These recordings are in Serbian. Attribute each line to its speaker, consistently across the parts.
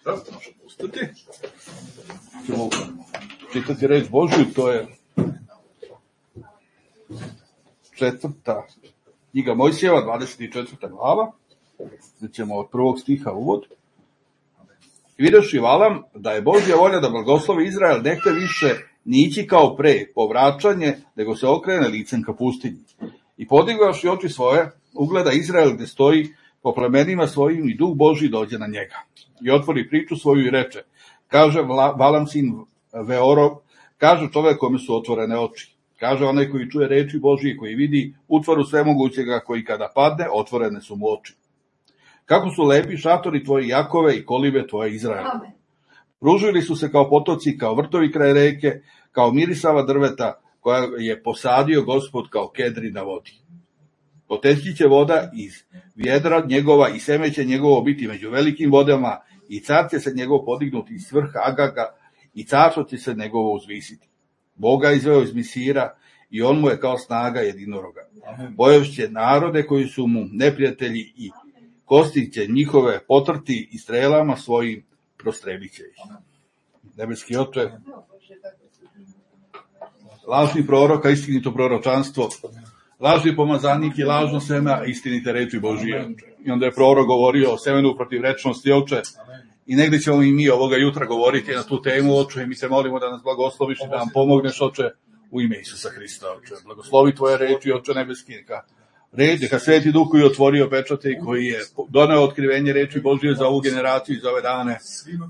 Speaker 1: Sad možemo ustati. Ćemo čitati reč Božju, to je 4. knjiga Mojsijeva, 24. glava. Gdje ćemo od 1. stiha uvod. Videoši Valam da je Božja volja da blagoslovi Izrael, nehte više nići kao pre, povraćanje, nego se okrene licem ka pustinji. I podigavši oči svoje, ugleda Izrael gdje stoji po plemenima svojim i duh Božji dođe na njega. I otvori priču svoju i reče, kaže Valam sin Veorov, kaže čovjek kome su otvorene oči. Kaže onaj koji čuje reči Božje, koji vidi utvaru svemogućega, koji kada padne, otvorene su mu oči. Kako su lepi šatori tvoji Jakove i kolibe tvoje Izraela. Pružili su se kao potoci, kao vrtovi kraj reke, kao mirisava drveta koja je posadio Gospod kao kedri na vodi. Poteći će voda iz vjedra njegova i seme će njegovo biti među velikim vodama i car će se njegov podignuti iz vrha Agaga i carstvo će se njegovo uzvisiti. Boga izveo iz Misira i on mu je kao snaga jedinoroga. Bojevšće narode koji su mu neprijatelji i kosti će njihove potrti i strelama svojim prostrebit će ih. Nebeski Oče, lažni proroka, istinito proročanstvo, lažni pomazanik i lažno seme, a istinite reči Božije. I onda je prorok govorio o semenu protivrečnosti, Oče, i negdje ćemo i mi ovoga jutra govoriti na tu temu, Oče, i mi se molimo da nas blagosloviš i da nam pomogneš, Oče, u ime Isusa Hrista, Oče. Blagoslovi tvoje reči, Oče nebeski, neka Sveti Duh koji je otvorio pečate i koji je doneo otkrivenje reči Božije za ovu generaciju i za ove dane,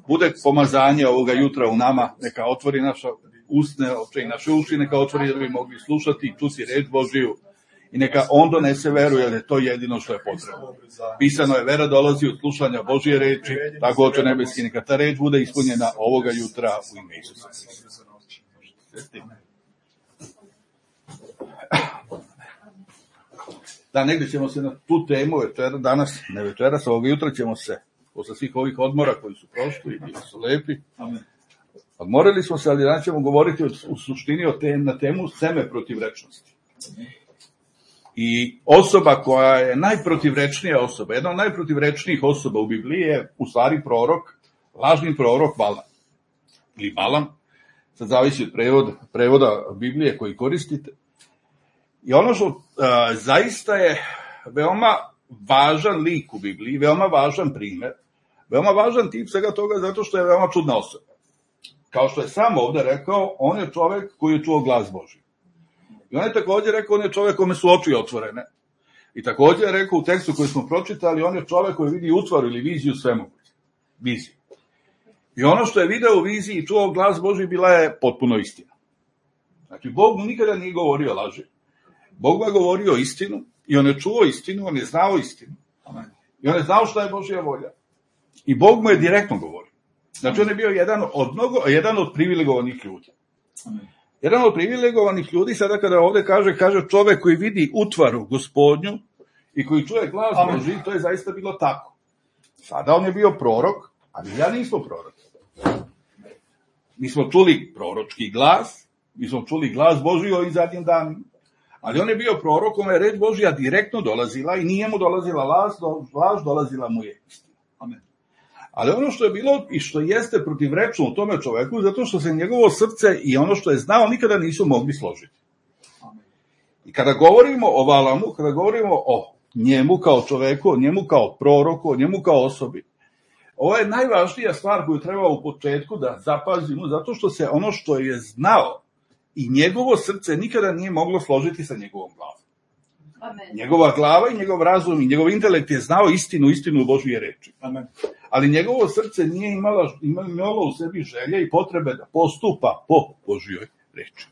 Speaker 1: bude pomazanje ovoga jutra u nama, neka otvori naša usne, Oče, i naše uši, neka otvori da bi mogli slušati i čuti reč Božiju i neka on donese veru, jer je to jedino što je potrebno. Pisano je, vera dolazi od slušanja Božije reči, tako Oče nebeski, neka ta reč bude ispunjena ovoga jutra u ime Isusa Hrista. Da, negdje ćemo se na tu temu danas, ne večeras, ovoga jutra ćemo se, posle svih ovih odmora koji su prošli i bili su lepi, odmorili smo se, ali danas ćemo govoriti u suštini na temu seme protivrečnosti. I osoba koja je najprotivrečnija osoba, jedna od najprotivrečnijih osoba u Bibliji je u stvari prorok, lažni prorok Valam. Ili Balam, sad zavisi od prevoda Biblije koji koristite. I ono što zaista je veoma važan lik u Bibliji, veoma važan primjer, veoma važan tip svega toga zato što je veoma čudna osoba. Kao što je sam ovdje rekao, on je čovjek koji je čuo glas Božji. I on je također rekao, on je čovjek kome su oči otvorene. I također je rekao u tekstu koji smo pročitali, on je čovjek koji vidi utvaru ili viziju svemoguće. Viziju. I ono što je video u viziji i čuo glas Božji bila je potpuno istina. Znači, Bog mu nikada nije govorio laži. Bog mu je govorio istinu i on je čuo istinu, on je znao istinu. I on je znao šta je Božja volja. I Bog mu je direktno govorio. Znači, on je bio jedan od privilegovanih ljudi. Jedan od privilegovanih ljudi, sada kada ovdje kaže čovjek koji vidi utvaru Gospodnju i koji čuje glas Božji, to je zaista bilo tako. Sada on je bio prorok, ali ja nismo prorok. Mi smo čuli proročki glas, mi smo čuli glas Božji ovim zadnjim danima, ali on je bio prorok, kome je reč Božja direktno dolazila i nije mu dolazila laž, dolazila mu je istina. Amen. Ali ono što je bilo i što jeste protivrečno u tome čoveku, zato što se njegovo srce i ono što je znao nikada nisu mogli složiti. Amen. I kada govorimo o Valamu, kada govorimo o njemu kao čoveku, o njemu kao proroku, o njemu kao osobi, ovo je najvažnija stvar koju treba u početku da zapazimo, zato što se ono što je znao i njegovo srce nikada nije moglo složiti sa njegovom glavom. Amen. Njegova glava i njegov razum i njegov intelekt je znao istinu Božje reči. Amen. Ali njegovo srce nije imalo u sebi želje i potrebe da postupa po Božjoj reči.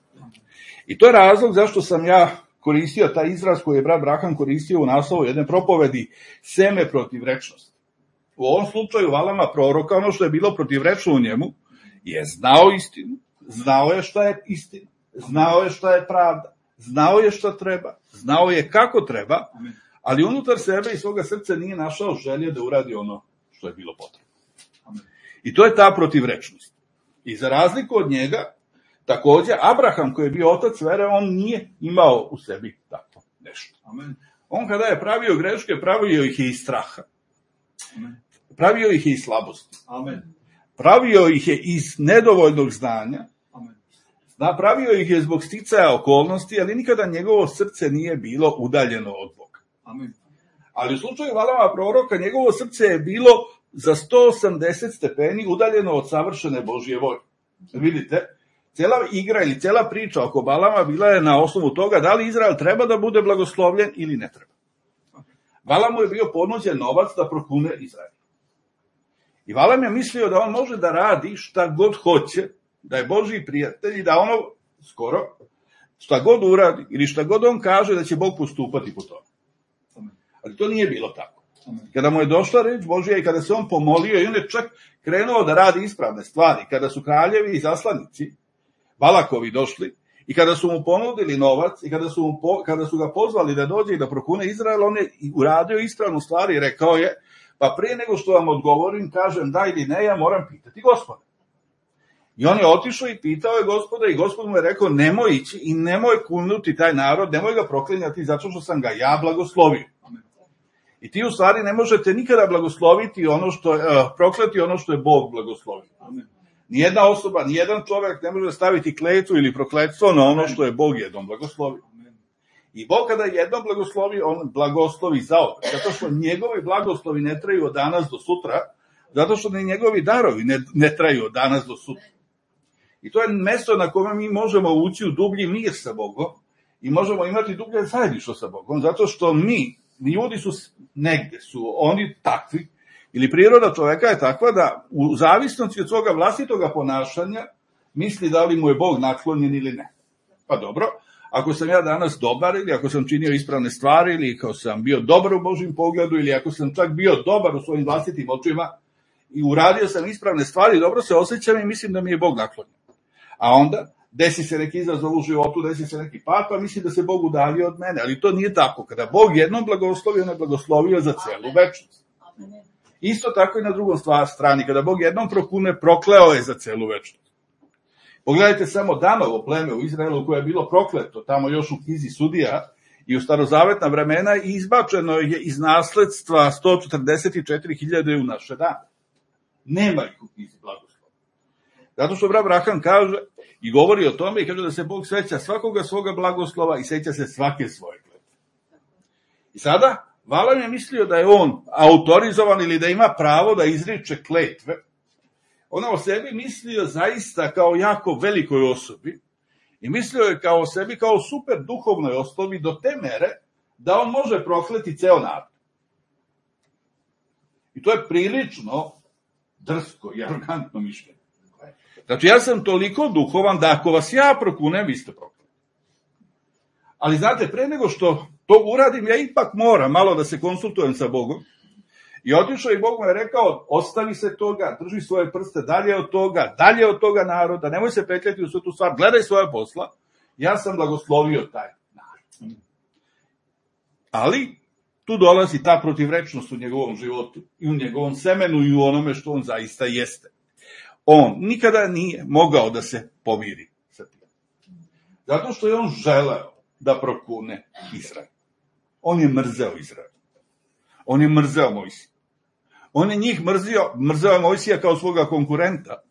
Speaker 1: I to je razlog zašto sam ja koristio taj izraz koji je brat Braham koristio u naslovu jedne propovedi, seme protivrečnosti. U ovom slučaju Valama proroka, ono što je bilo protivrečno u njemu, je znao istinu, znao je šta je istina, znao je šta je pravda, znao je šta treba, znao je kako treba, ali unutar sebe i svoga srca nije našao želje da uradi ono što je bilo potrebno. I to je ta protivrečnost. I za razliku od njega, također Abraham koji je bio otac vere, on nije imao u sebi tako nešto. On kada je pravio greške, pravio ih je iz straha. pravio ih je iz slabosti.
Speaker 2: Amen.
Speaker 1: Pravio ih je iz nedovoljnog znanja.
Speaker 2: Amen.
Speaker 1: Napravio ih je zbog sticaja okolnosti, ali nikada njegovo srce nije bilo udaljeno od Boga.
Speaker 2: Amen.
Speaker 1: Ali u slučaju Valama proroka, njegovo srce je bilo za 180 stepeni udaljeno od savršene Božje volje. Vidite, cijela igra ili cijela priča oko Balama bila je na osnovu toga da li Izrael treba da bude blagoslovljen ili ne treba. Valamu je bio ponuđen novac da prokune Izrael. I Valam je mislio da on može da radi šta god hoće, da je Božji prijatelj i da ono skoro šta god uradi ili šta god on kaže da će Bog postupati po tome. Ali to nije bilo tako. Kada mu je došla reč Božja i kada se on pomolio i on je čak krenuo da radi ispravne stvari, kada su kraljevi i zaslanici Balakovi došli i kada su mu ponudili novac i kada su ga pozvali da dođe i da prokune Izrael, on je uradio ispravnu stvar i rekao je, pa prije nego što vam odgovorim, kažem da ili ne, ja moram pitati Gospoda. I on je otišao i pitao je Gospoda i Gospod mu je rekao, nemoj ići i nemoj kulnuti taj narod, nemoj ga proklinjati zato što sam ga ja blagoslovio. I ti u stvari ne možete nikada blagosloviti prokleti ono što je Bog blagoslovio. Nijedna osoba, nijedan čovjek ne može staviti kletvu ili prokletstvo na ono što je Bog jednom blagoslovio. I Bog kada jednom blagoslovi, on blagoslovi zaopet. Zato što njegovi blagoslovi ne traju od danas do sutra, zato što ni njegovi darovi ne traju od danas do sutra. I to je mesto na kome mi možemo ući u dublji mir sa Bogom i možemo imati dublje zajedništvo sa Bogom, zato što ljudi su negde, su oni takvi, ili priroda čoveka je takva da u zavisnosti od svoga vlastitoga ponašanja misli da li mu je Bog naklonjen ili ne. Pa dobro, ako sam ja danas dobar ili ako sam činio ispravne stvari ili ako sam bio dobar u Božjem pogledu ili ako sam čak bio dobar u svojim vlastitim očima i uradio sam ispravne stvari, dobro se osjećam i mislim da mi je Bog naklonjen. A onda desi se neki izazov u životu, desi se neki pad, pa mislim da se Bog udalio od mene. Ali to nije tako. Kada Bog jednom blagoslovio, on je blagoslovio za celu večnost. Isto tako i na drugom strani. Kada Bog jednom prokune, prokleo je za celu večnost. Pogledajte samo Danovo pleme u Izraelu koje je bilo prokleto, tamo još u knjizi Sudija i u starozavetna vremena, i izbačeno je iz nasledstva 144.000 u naše dane. Nema ih u knjizi blagoslova. Zato što Abraham kaže i govori o tome i kaže da se Bog seća svakoga svoga blagoslova i seća se svake svoje kletve. I sada Valam je mislio da je on autorizovan ili da ima pravo da izriče kletve. On o sebi mislio zaista kao jako velikoj osobi i mislio je kao o sebi kao super duhovnoj osobi do te mere da on može prokleti ceo narod. I to je prilično drsko i arogantno mišljenje. Znači, ja sam toliko duhovan da ako vas ja prokunem, vi ste prokleti. Ali znate, pre nego što to uradim, ja ipak moram malo da se konsultujem sa Bogom. I otišao i Bog mu je rekao, ostavi se toga, drži svoje prste dalje od toga naroda, nemoj se petljati u svu tu stvar, gledaj svoje posla, ja sam blagoslovio taj narod. Ali, tu dolazi ta protivrečnost u njegovom životu, i u njegovom semenu, i u onome što on zaista jeste. On nikada nije mogao da se pomiri sa tim. Zato što je on želeo da prokune Izrael. On je mrzeo Izrael. On je mrzeo Mojsija. On je njih mrzeo je Mojsija kao svoga konkurenta,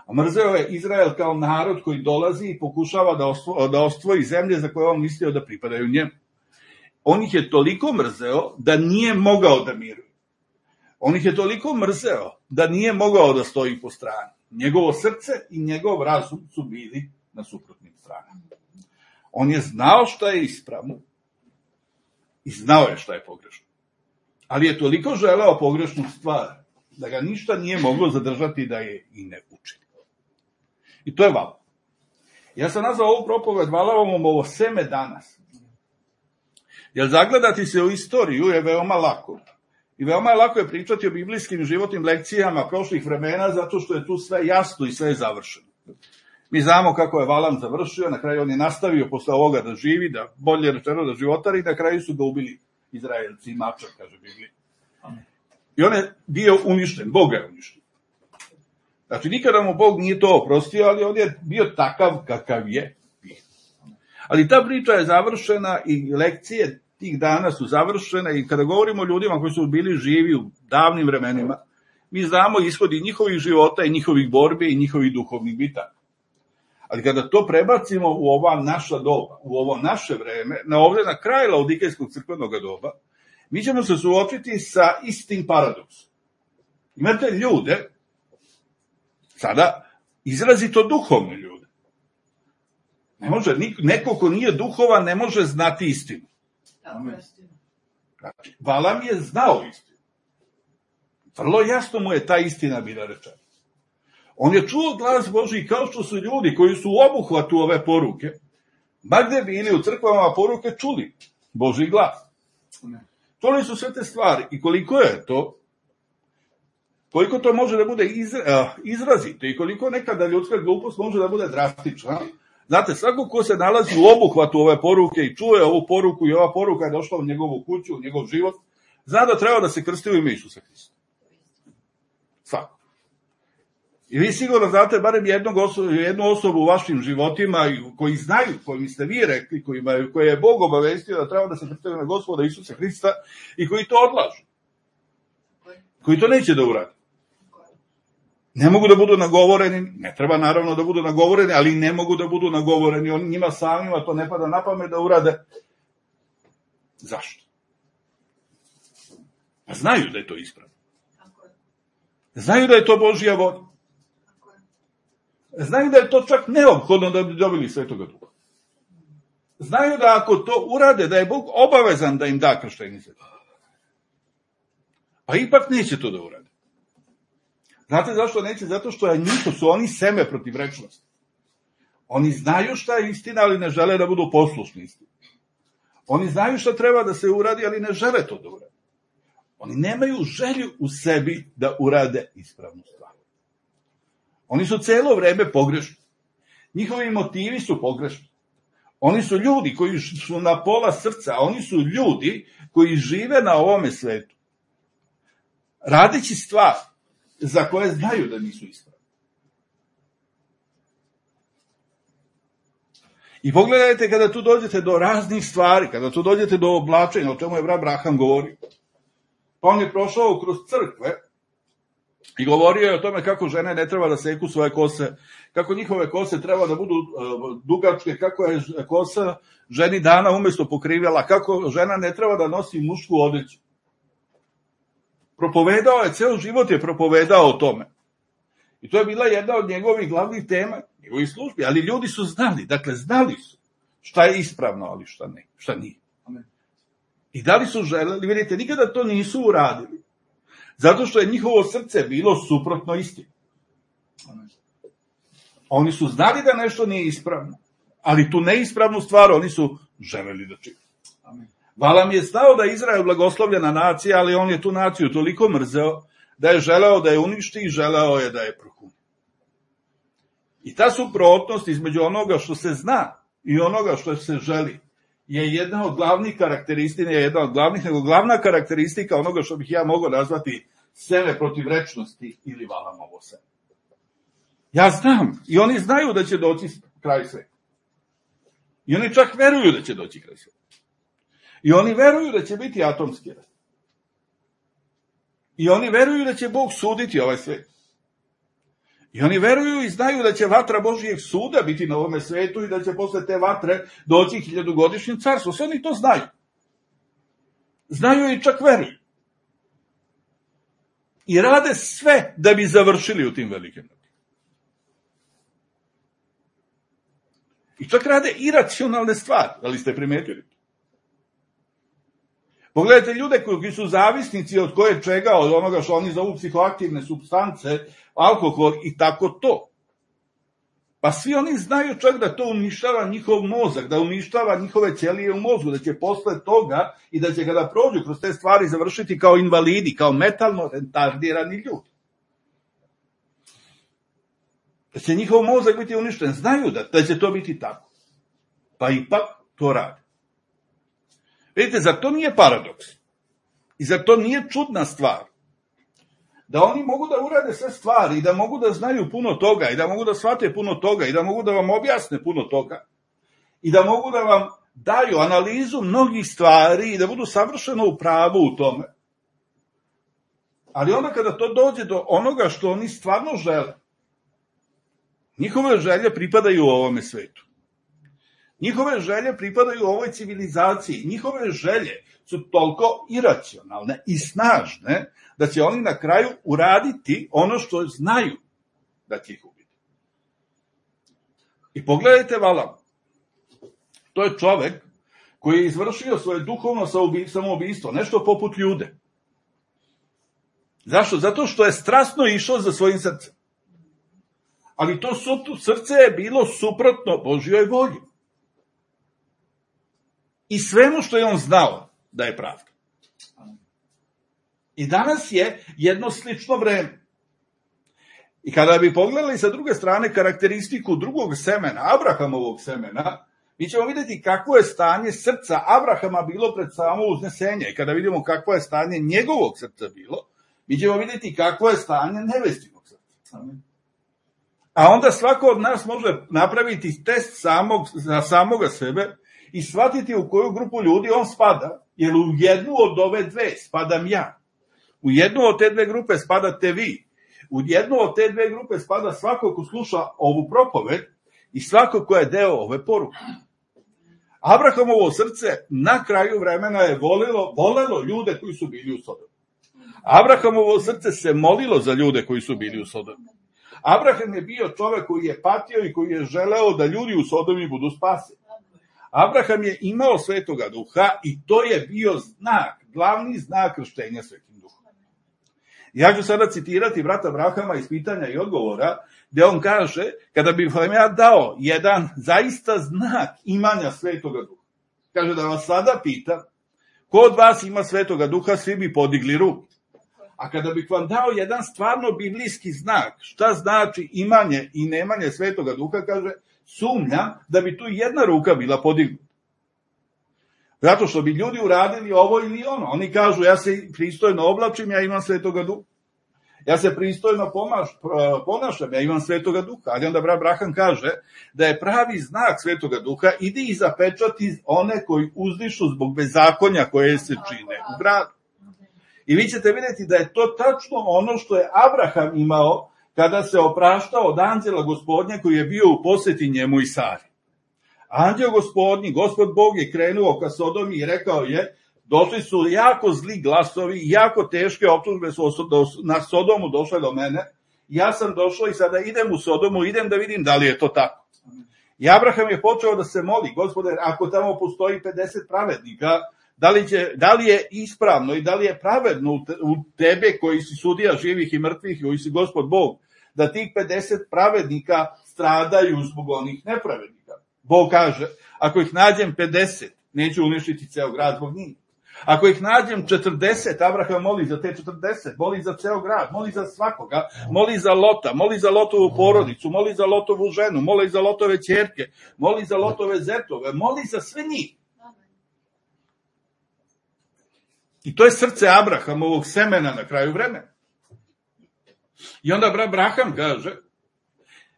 Speaker 1: a mrzeo je Izrael kao narod koji dolazi i pokušava da osvoji zemlje za koje on mislio da pripadaju njemu. On ih je toliko mrzeo da nije mogao da miruje. On ih je toliko mrzeo da nije mogao da stoji po strani. Njegovo srce i njegov razum su bili na suprotnim stranama. On je znao šta je ispravno i znao je šta je pogrešno. Ali je toliko želeo pogrešnu stvar da ga ništa nije moglo zadržati da je i ne učini. I to je Valam. Ja sam nazvao ovu propoved Valamovom ovo seme danas. Jer zagledati se u istoriju je veoma lako. I veoma je lako je pričati o biblijskim životnim lekcijama prošlih vremena, zato što je tu sve jasno i sve je završeno. Mi znamo kako je Valam završio, na kraju on je nastavio posle ovoga da živi, da bolje rečeno da životari, na kraju su ga ubili Izraelci, mačak, kaže Biblija. I on je bio uništen, Bog je uništen. Znači, nikada mu Bog nije to oprostio, ali on je bio takav kakav je. Ali ta priča je završena i lekcije tih dana su završene i kada govorimo o ljudima koji su bili živi u davnim vremenima, mi znamo ishodi njihovih života i njihovih borbi i njihovih duhovnih bitaka. Ali kada to prebacimo u ova naša doba, u ovo naše vreme, ovdje na kraj Laodikejskog crkvenog doba, mi ćemo se suočiti sa istim paradoksom. Imate ljude, sada izrazito duhovne ljude. Ne može, neko ko nije duhovan ne može znati istinu. Znači, Valam je znao istinu. Vrlo jasno mu je ta istina bila rečena. On je čuo glas Božji kao što su ljudi koji su u obuhvatu ove poruke, ba gde bili u crkvama poruke čuli Božji glas. Čuli su sve te stvari i koliko je to, koliko to može da bude izrazito i koliko nekada ljudska glupost može da bude drastična. Znate, svako ko se nalazi u obuhvatu ove poruke i čuje ovu poruku i ova poruka je došla u njegovu kuću, u njegov život, zna da treba da se krsti u ime Isusa Hrista. Svako. I vi sigurno znate barem jednu osobu u vašim životima koji znaju, kojim ste vi rekli, koje je Bog obavestio da treba da se krste u ime Gospoda Isusa Hrista i koji to odlažu. Koji to neće da urade. Ne mogu da budu nagovoreni, ne treba naravno da budu nagovoreni, ali ne mogu da budu nagovoreni, njima samima to ne pada na pamet da urade. Zašto? Pa znaju da je to ispravno. Znaju da je to Božja volja. Znaju da je to čak neophodno da bi dobili Svetoga Duha. Znaju da ako to urade, da je Bog obavezan da im da krštenje Svetoga Duha. Pa ipak neće to da urade. Znate zašto neće? Zato što su oni seme protiv rečnosti. Oni znaju šta je istina, ali ne žele da budu poslušni istini. Oni znaju šta treba da se uradi, ali ne žele to da urade. Oni nemaju želju u sebi da urade ispravnu stvar. Oni su celo vreme pogrešni. Njihovi motivi su pogrešni. Oni su ljudi koji su na pola srca, oni su ljudi koji žive na ovome svetu. Radeći stvar za koje znaju da nisu ispravne. I pogledajte kada tu dođete do raznih stvari, kada tu dođete do oblačenja, o čemu je brat Braham govorio. Pa on je prošao kroz crkve i govorio je o tome kako žene ne treba da seku svoje kose, kako njihove kose treba da budu dugačke, kako je kosa ženi dana umesto pokrivela, kako žena ne treba da nosi mušku odeću. Propovedao je, ceo život je propovedao o tome. I to je bila jedna od njegovih glavnih tema, njegovih službi, ali ljudi su znali, dakle znali su šta je ispravno, ali šta nije. Amen. I da li su želeli, vidite, nikada to nisu uradili, zato što je njihovo srce bilo suprotno istini. Oni su znali da nešto nije ispravno, ali tu neispravnu stvar oni su želeli da čine. Amen. Valam je znao da je Izrael blagoslovljena nacija, ali on je tu naciju toliko mrzeo da je želeo da je uništi i želeo je da je prohuni. I ta suprotnost između onoga što se zna i onoga što se želi je jedna od glavnih karakteristika, nego glavna karakteristika onoga što bih ja mogao nazvati seme protiv rečnosti ili Valamovo seme. Ja znam i oni znaju da će doći kraj sveta. I oni čak veruju da će doći kraj sveta. I oni veruju da će biti atomski rat. I oni veruju da će Bog suditi ovaj svet. I oni veruju i znaju da će vatra Božijeg suda biti na ovome svetu i da će posle te vatre doći 1000-godišnje carstvo. Sve oni to znaju. Znaju i čak veruju. I rade sve da bi završili u tim velikim ratima. I čak rade iracionalne stvari, ali ste primetili. Pogledajte ljude koji su zavisnici od koje čega, od onoga što oni zovu psihoaktivne supstance, alkohol i tako to. Pa svi oni znaju čak da to uništava njihov mozak, da uništava njihove ćelije u mozgu, da će posle toga i da će kada prođu kroz te stvari završiti kao invalidi, kao metalno retardirani ljudi. Da će njihov mozak biti uništen, znaju da će to biti tako. Pa ipak to rade. Vidite, zar to nije paradoks? I zar to nije čudna stvar? Da oni mogu da urade sve stvari i da mogu da znaju puno toga i da mogu da shvate puno toga i da mogu da vam objasne puno toga i da mogu da vam daju analizu mnogih stvari i da budu savršeno u pravu u tome. Ali onda kada to dođe do onoga što oni stvarno žele, njihove želje pripadaju ovome svetu. Njihove želje pripadaju ovoj civilizaciji. Njihove želje su toliko iracionalne i snažne da će oni na kraju uraditi ono što znaju da će ih ubiti. I Valama. To je čovek koji je izvršio svoje duhovno samoubistvo, nešto poput Ljude. Zašto? Zato što je strasno išao za svojim srcem. Ali to srce je bilo suprotno Božjoj volji. I svemu što je on znao da je pravda. I danas je jedno slično vreme. I kada bi pogledali sa druge strane karakteristiku drugog semena, Abrahamovog semena, mi ćemo vidjeti kakvo je stanje srca Abrahama bilo pred samo uznesenje. I kada vidimo kakvo je stanje njegovog srca bilo, mi ćemo vidjeti kakvo je stanje nevestinog srca. A onda svako od nas može napraviti test za samoga sebe i shvatiti u koju grupu ljudi on spada, jer u jednu od ove dve spadam ja. U jednu od te dve grupe spadate vi. U jednu od te dve grupe spada svako ko sluša ovu propoved i svako ko je deo ove poruke. Abrahamovo srce na kraju vremena je volelo ljude koji su bili u Sodomu. Abrahamovo srce se molilo za ljude koji su bili u Sodomu. Abraham je bio čovek koji je patio i koji je želeo da ljudi u Sodomi budu spaseni. Abraham je imao Svetoga Duha i to je bio znak, glavni znak krštenja Svetim Duhom. Ja ću sada citirati brata Abrahama iz pitanja i odgovora, gde on kaže, kada bih vam ja dao jedan zaista znak imanja Svetoga Duha, kaže da vas sada pitam, ko od vas ima Svetoga Duha, svi bi podigli ruku. A kada bih vam dao jedan stvarno biblijski znak, šta znači imanje i nemanje Svetoga Duha, kaže, sumnjam da bi tu jedna ruka bila podignuta. Zato što bi ljudi uradili ovo ili ono. Oni kažu, ja se pristojno oblačim, ja imam Svetoga Duha. Ja se pristojno ponašam, ja imam Svetoga Duha. Ali onda brat Abraham kaže da je pravi znak Svetoga Duha, idi i zapečati one koji uzdišu zbog bezakonja koje se čine u gradu. I vi ćete vidjeti da je to tačno ono što je Abraham imao kada se opraštao od anđela Gospodnja koji je bio u poseti njemu i Sari. Anđeo Gospodnji, Gospod Bog je krenuo ka Sodomi i rekao je, došli su jako zli glasovi, jako teške optužbe su na Sodomu došle do mene, ja sam došao i sada idem u Sodomu, idem da vidim da li je to tako. I Abraham je počeo da se moli, Gospode, ako tamo postoji 50 pravednika, da li je ispravno i da li je pravedno u tebe koji si sudija živih i mrtvih, koji si Gospod Bog, da tih 50 pravednika stradaju zbog onih nepravednika. Bog kaže, ako ih nađem 50, neću uništiti ceo grad zbog njih. Ako ih nađem 40, Abraham moli za te 40, moli za ceo grad, moli za svakoga, moli za Lota, moli za Lotovu porodicu, moli za Lotovu ženu, moli za Lotove ćerke, moli za Lotove zetove, moli za sve njih. I to je srce Abrahamovog semena na kraju vremena. I onda brat Abraham kaže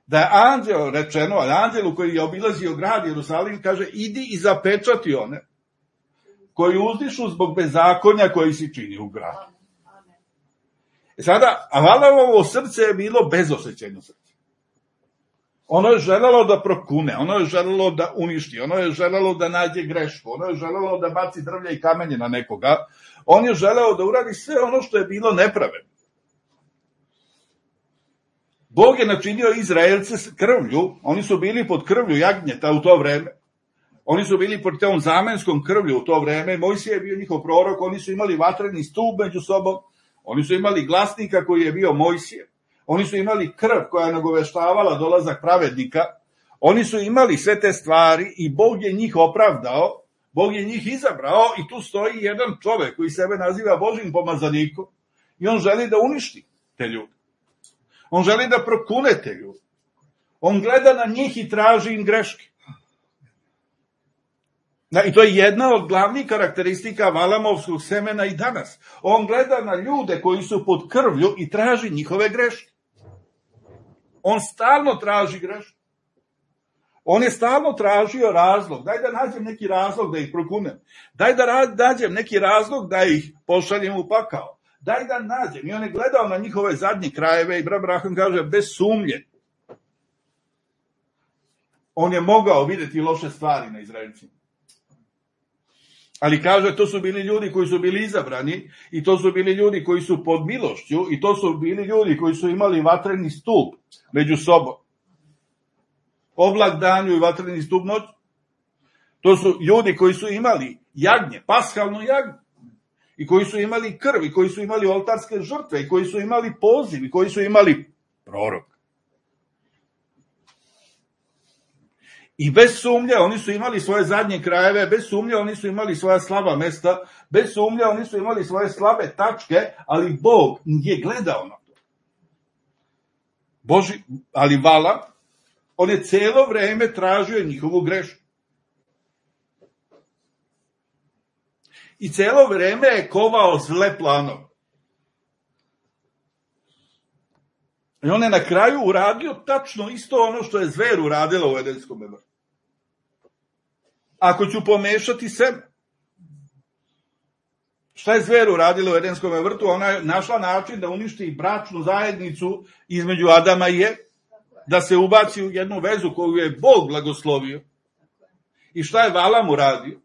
Speaker 1: da je anđel rečeno, anđelu koji je obilazio grad Jerusalim, kaže idi i zapečati one koji uzdišu zbog bezakonja koji si čini u gradu. Sada, Avalamovo srce je bilo bezosjećajno srce. Ono je želelo da prokune, ono je želelo da uništi, ono je želelo da nađe grešku, ono je želelo da baci drvlje i kamenje na nekoga, on je želeo da uradi sve ono što je bilo nepravedno. Bog je načinio Izraelce s krvlju, oni su bili pod krvlju jagnjeta u to vreme, oni su bili pod tom zamenskom krvlju u to vreme, Mojsije je bio njihov prorok, oni su imali vatreni stup među sobom, oni su imali glasnika koji je bio Mojsije, oni su imali krv koja je nagoveštavala dolazak pravednika, oni su imali sve te stvari i Bog je njih opravdao, Bog je njih izabrao i tu stoji jedan čovek koji sebe naziva Božjim pomazanikom i on želi da uništi te ljude. On želi da prokune te ljude. On gleda na njih i traži im greške. I to je jedna od glavnih karakteristika Valamovskog semena i danas. On gleda na ljude koji su pod krvlju i traži njihove greške. On stalno traži greške. On je stalno tražio razlog. Daj da nađem neki razlog da ih prokunem. Daj da nađem neki razlog da ih pošaljem u pakao. daj da nađem. I on je gledao na njihove zadnje krajeve i Abraham kaže, bez sumnje. On je mogao vidjeti loše stvari na Izraelcima. Ali kaže, to su bili ljudi koji su bili izabrani i to su bili ljudi koji su pod milošću i to su bili ljudi koji su imali vatreni stup među sobom. Oblak danju i vatreni stup noć. To su ljudi koji su imali jagnje, paskalno jagnje. I koji su imali krv, i koji su imali oltarske žrtve, i koji su imali poziv, i koji su imali prorok. I bez sumnje oni su imali svoje zadnje krajeve, bez sumnje oni su imali svoja slaba mesta, bez sumnje oni su imali svoje slabe tačke, ali Bog nije gledao na to. Ali Valam, on je cijelo vreme tražio njihovu grešku. I cijelo vreme je kovao zle planove. I on je na kraju uradio tačno isto ono što je zver uradila u Edenskom vrtu. Ako ću pomešati seme. Šta je zver uradila u Edenskom vrtu? Ona je našla način da uništi bračnu zajednicu između Adama i Eve, da se ubaci u jednu vezu koju je Bog blagoslovio. I šta je Valam uradio?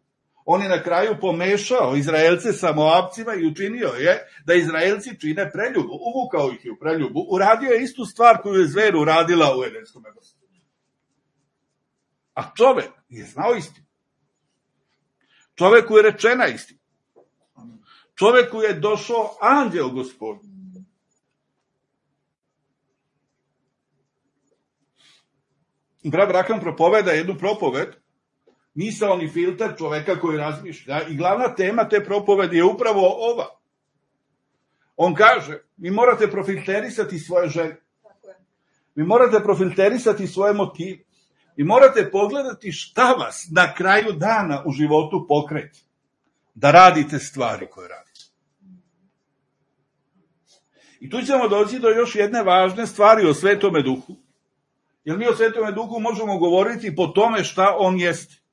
Speaker 1: On je na kraju pomešao Izraelce sa Moabcima i učinio je da Izraelci čine preljubu. Uvukao ih je u preljubu. Uradio je istu stvar koju je zver uradila u Edenskom vrtu. A čovek je znao istinu. Čoveku je rečena istina. Čoveku je došao anđeo Gospodin. Abraham propoveda jednu propoved, misaoni filter čoveka koji razmišlja i glavna tema te propovedi je upravo ova. On kaže, vi morate profilterisati svoje želje. Vi morate profilterisati svoje motive. Vi morate pogledati šta vas na kraju dana u životu pokreće. Da radite stvari koje radite. I tu ćemo doći do još jedne važne stvari o Svetome Duhu. Jer mi o Svetome Duhu možemo govoriti po tome šta on jeste.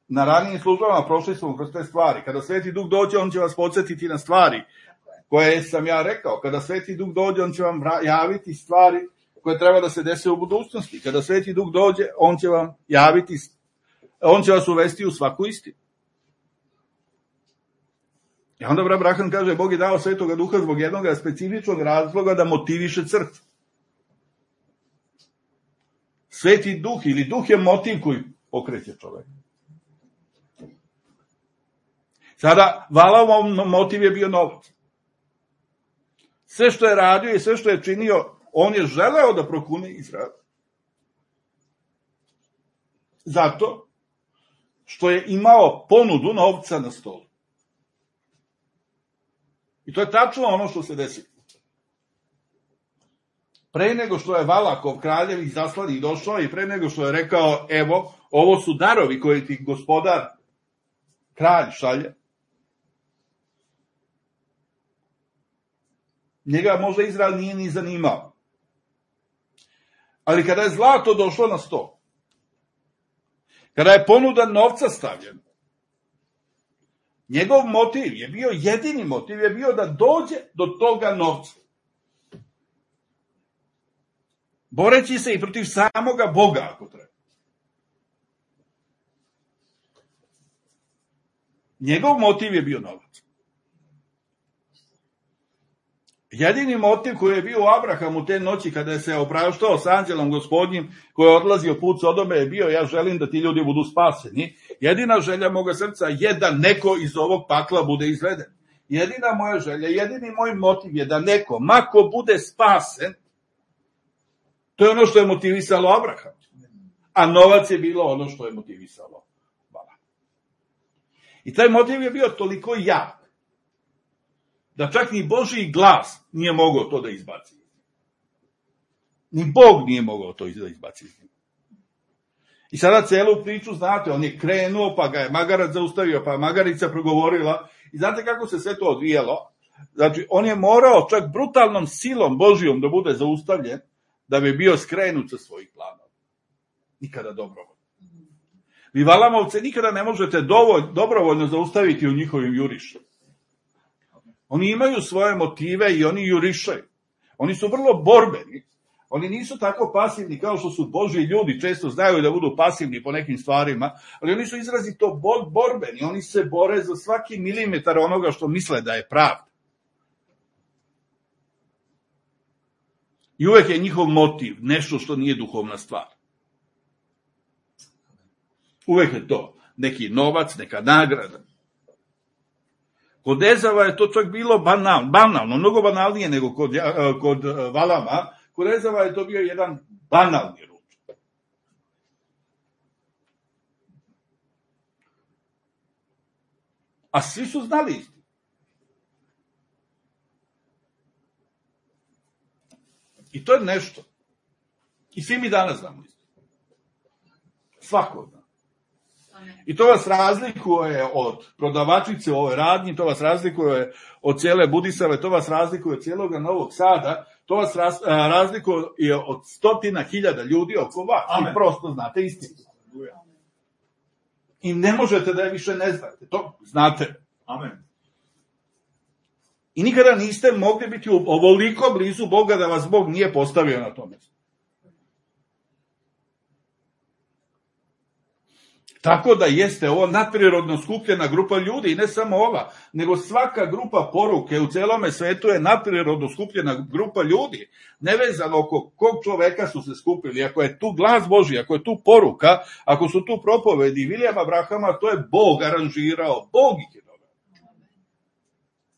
Speaker 1: Na ranijim službama prošli smo kroz te stvari. Kada Sveti Duh dođe, on će vas podsjetiti na stvari koje sam ja rekao. Kada Sveti Duh dođe, on će vam javiti stvari koje treba da se dese u budućnosti. Kada Sveti Duh dođe, on će vam javiti, on će vas uvesti u svaku istinu. I onda Abraham kaže, Bog je dao Svetoga Duha zbog jednog specifičnog razloga da motiviše crkvu. Sveti Duh ili Duh je motiv koji pokreće čoveka. Sada, Valamov motiv je bio novac. Sve što je radio i sve što je činio, on je želeo da prokune Izrael. Zato što je imao ponudu novca na stolu. I to je tačno ono što se desi. Pre nego što je Valakov kraljev iz zaslanih došao i pre nego što je rekao, evo, ovo su darovi koje ti gospodar kralj šalje, njega možda Izrael nije ni zanimao. Ali kada je zlato došlo na sto, kada je ponuda novca stavljena, njegov motiv je bio, jedini motiv je bio da dođe do toga novca. Boreći se i protiv samoga Boga, ako treba. Njegov motiv je bio novac. Jedini motiv koji je bio u Abrahamu te noći kada je se opraštao s anđelom Gospodnjim koji je odlazio put Sodome je bio, ja želim da ti ljudi budu spaseni. Jedina želja moga srca je da neko iz ovog pakla bude izveden. Jedina moja želja, jedini moj motiv je da neko, mako bude spasen. To je ono što je motivisalo Abraham. A novac je bilo ono što je motivisalo Valam. I taj motiv je bio toliko jak da čak ni Božji glas nije mogao to da izbaci. Ni Bog nije mogao to da izbaci. I sada celu priču, znate, on je krenuo, pa ga je magarac zaustavio, pa je magarica progovorila. I znate kako se sve to odvijalo? Znači, on je morao čak brutalnom silom Božjom da bude zaustavljen, da bi bio skrenut sa svojih planova. Nikada dobrovoljno. Vi Valamovce nikada ne možete dobrovoljno zaustaviti u njihovim jurišima. Oni imaju svoje motive i oni jurišaju. Oni su vrlo borbeni. Oni nisu tako pasivni kao što su Božji ljudi, često znaju da budu pasivni po nekim stvarima, ali oni su izrazito borbeni. Oni se bore za svaki milimetar onoga što misle da je pravda. I uvek je njihov motiv nešto što nije duhovna stvar. Uvek je to neki novac, neka nagrada. Kod Ezava je to čak bilo banalno, mnogo banalnije nego kod Valama. Kod Ezava je to bio jedan banalni ručak. A svi su znali istinu. I to je nešto. I svi mi danas znamo istinu. Svako od nas. I to vas razlikuje od prodavačice u ovoj radnji, to vas razlikuje od cijele Budisave, to vas razlikuje od cijelog Novog Sada, to vas razlikuje od 100.000 ljudi oko vas. Amen. I prosto znate istinu. I ne možete da je više ne znate. To znate. Amen. I nikada niste mogli biti ovoliko blizu Boga da vas Bog nije postavio na tome. Tako da jeste ovo nadprirodno skupljena grupa ljudi, i ne samo ova, nego svaka grupa poruke u celome svetu je nadprirodno skupljena grupa ljudi. Nevezano oko kog čoveka su se skupili, ako je tu glas Božji, ako je tu poruka, ako su tu propovedi Vilijama Brahama, to je Bog aranžirao, Bog ih je doveo.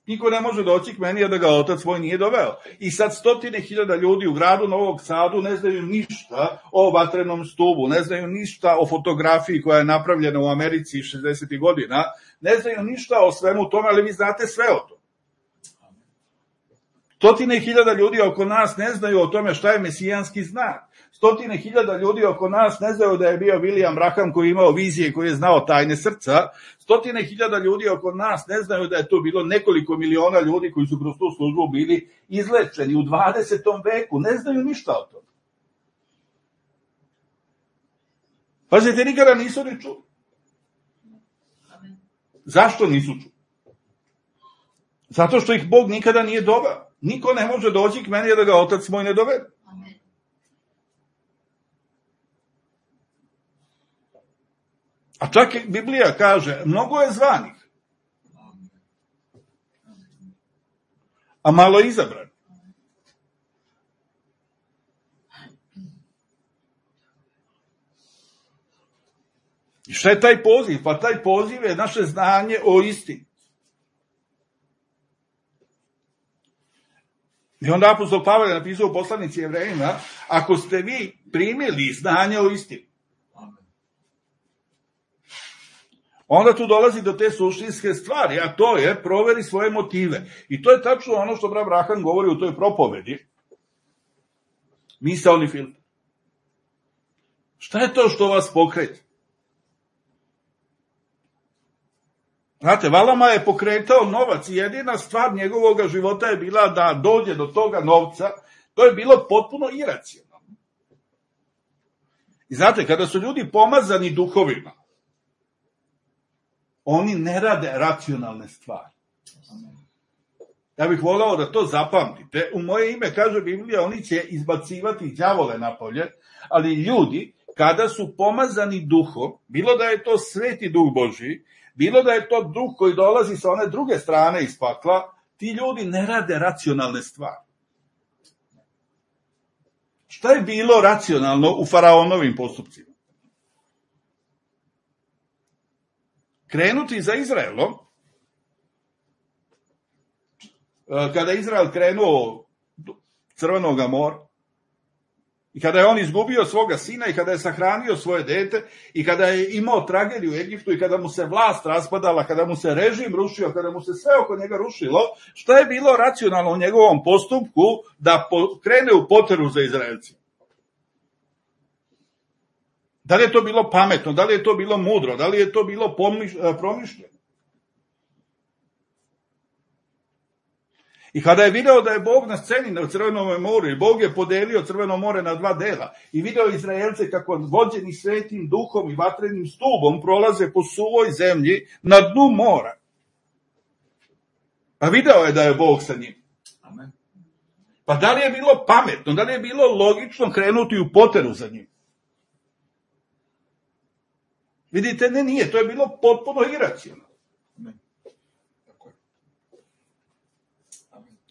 Speaker 1: Niko ne može doći k meni, a da ga otac svoj nije doveo. I sad 100.000 ljudi u gradu Novog Sadu ne znaju ništa o vatrenom stubu, ne znaju ništa o fotografiji koja je napravljena u Americi 60. godina, ne znaju ništa o svemu tome, ali vi znate sve o tome. 100.000 ljudi oko nas ne znaju o tome šta je mesijanski znak. 100.000 ljudi oko nas ne znaju da je bio William Braham koji je imao vizije, koji je znao tajne srca. 100.000 ljudi oko nas ne znaju da je to bilo nekoliko miliona ljudi koji su kroz tu službu bili izlečeni u 20. veku. Ne znaju ništa o tome. Pazite, nikada nisu ni čuli. Zašto nisu čuli? Zato što ih Bog nikada nije doveo. Niko ne može doći k meni da ga otac moj ne dovede. A čak i Biblija kaže, mnogo je zvanih, a malo izabranih. I šta je taj poziv? Pa taj poziv je naše znanje o istini. I onda apostol Pavle je napisao u poslanici Jevrejima, ako ste vi primili znanje o istini, onda tu dolazi do te suštinske stvari, a to je proveri svoje motive. I to je tačno ono što brat Braham govori u toj propovedi. Misaoni filter. Šta je to što vas pokreće? Znate, Valama je pokretao novac i jedina stvar njegovog života je bila da dođe do toga novca. To je bilo potpuno iracionalno. I znate, kada su ljudi pomazani duhovima, oni ne rade racionalne stvari. Ja bih volao da to zapamtite. U moje ime, kaže Biblija, oni će izbacivati đavole napolje, ali ljudi, kada su pomazani duhom, bilo da je to sveti duh Božji, bilo da je to duh koji dolazi sa one druge strane iz pakla, ti ljudi ne rade racionalne stvari. Šta je bilo racionalno u faraonovim postupcima? Krenuti za Izraelom, kada je Izrael krenuo Crvenoga mora, i kada je on izgubio svoga sina, i kada je sahranio svoje dete, i kada je imao tragediju u Egiptu, i kada mu se vlast raspadala, kada mu se režim rušio, kada mu se sve oko njega rušilo, šta je bilo racionalno u njegovom postupku da krene u poteru za Izraelcima? Da li je to bilo pametno, da li je to bilo mudro, da li je to bilo promišljeno? I kada je video da je Bog na sceni na Crvenom moru, i Bog je podelio Crveno more na dva dela, i video Izraelce kako vođeni svetim duhom i vatrenim stubom prolaze po suvoj zemlji na dnu mora. A video je da je Bog sa njim. Pa da li je bilo pametno, da li je bilo logično krenuti u poteru za njim? Vidite, ne, nije, to je bilo potpuno iracionalno.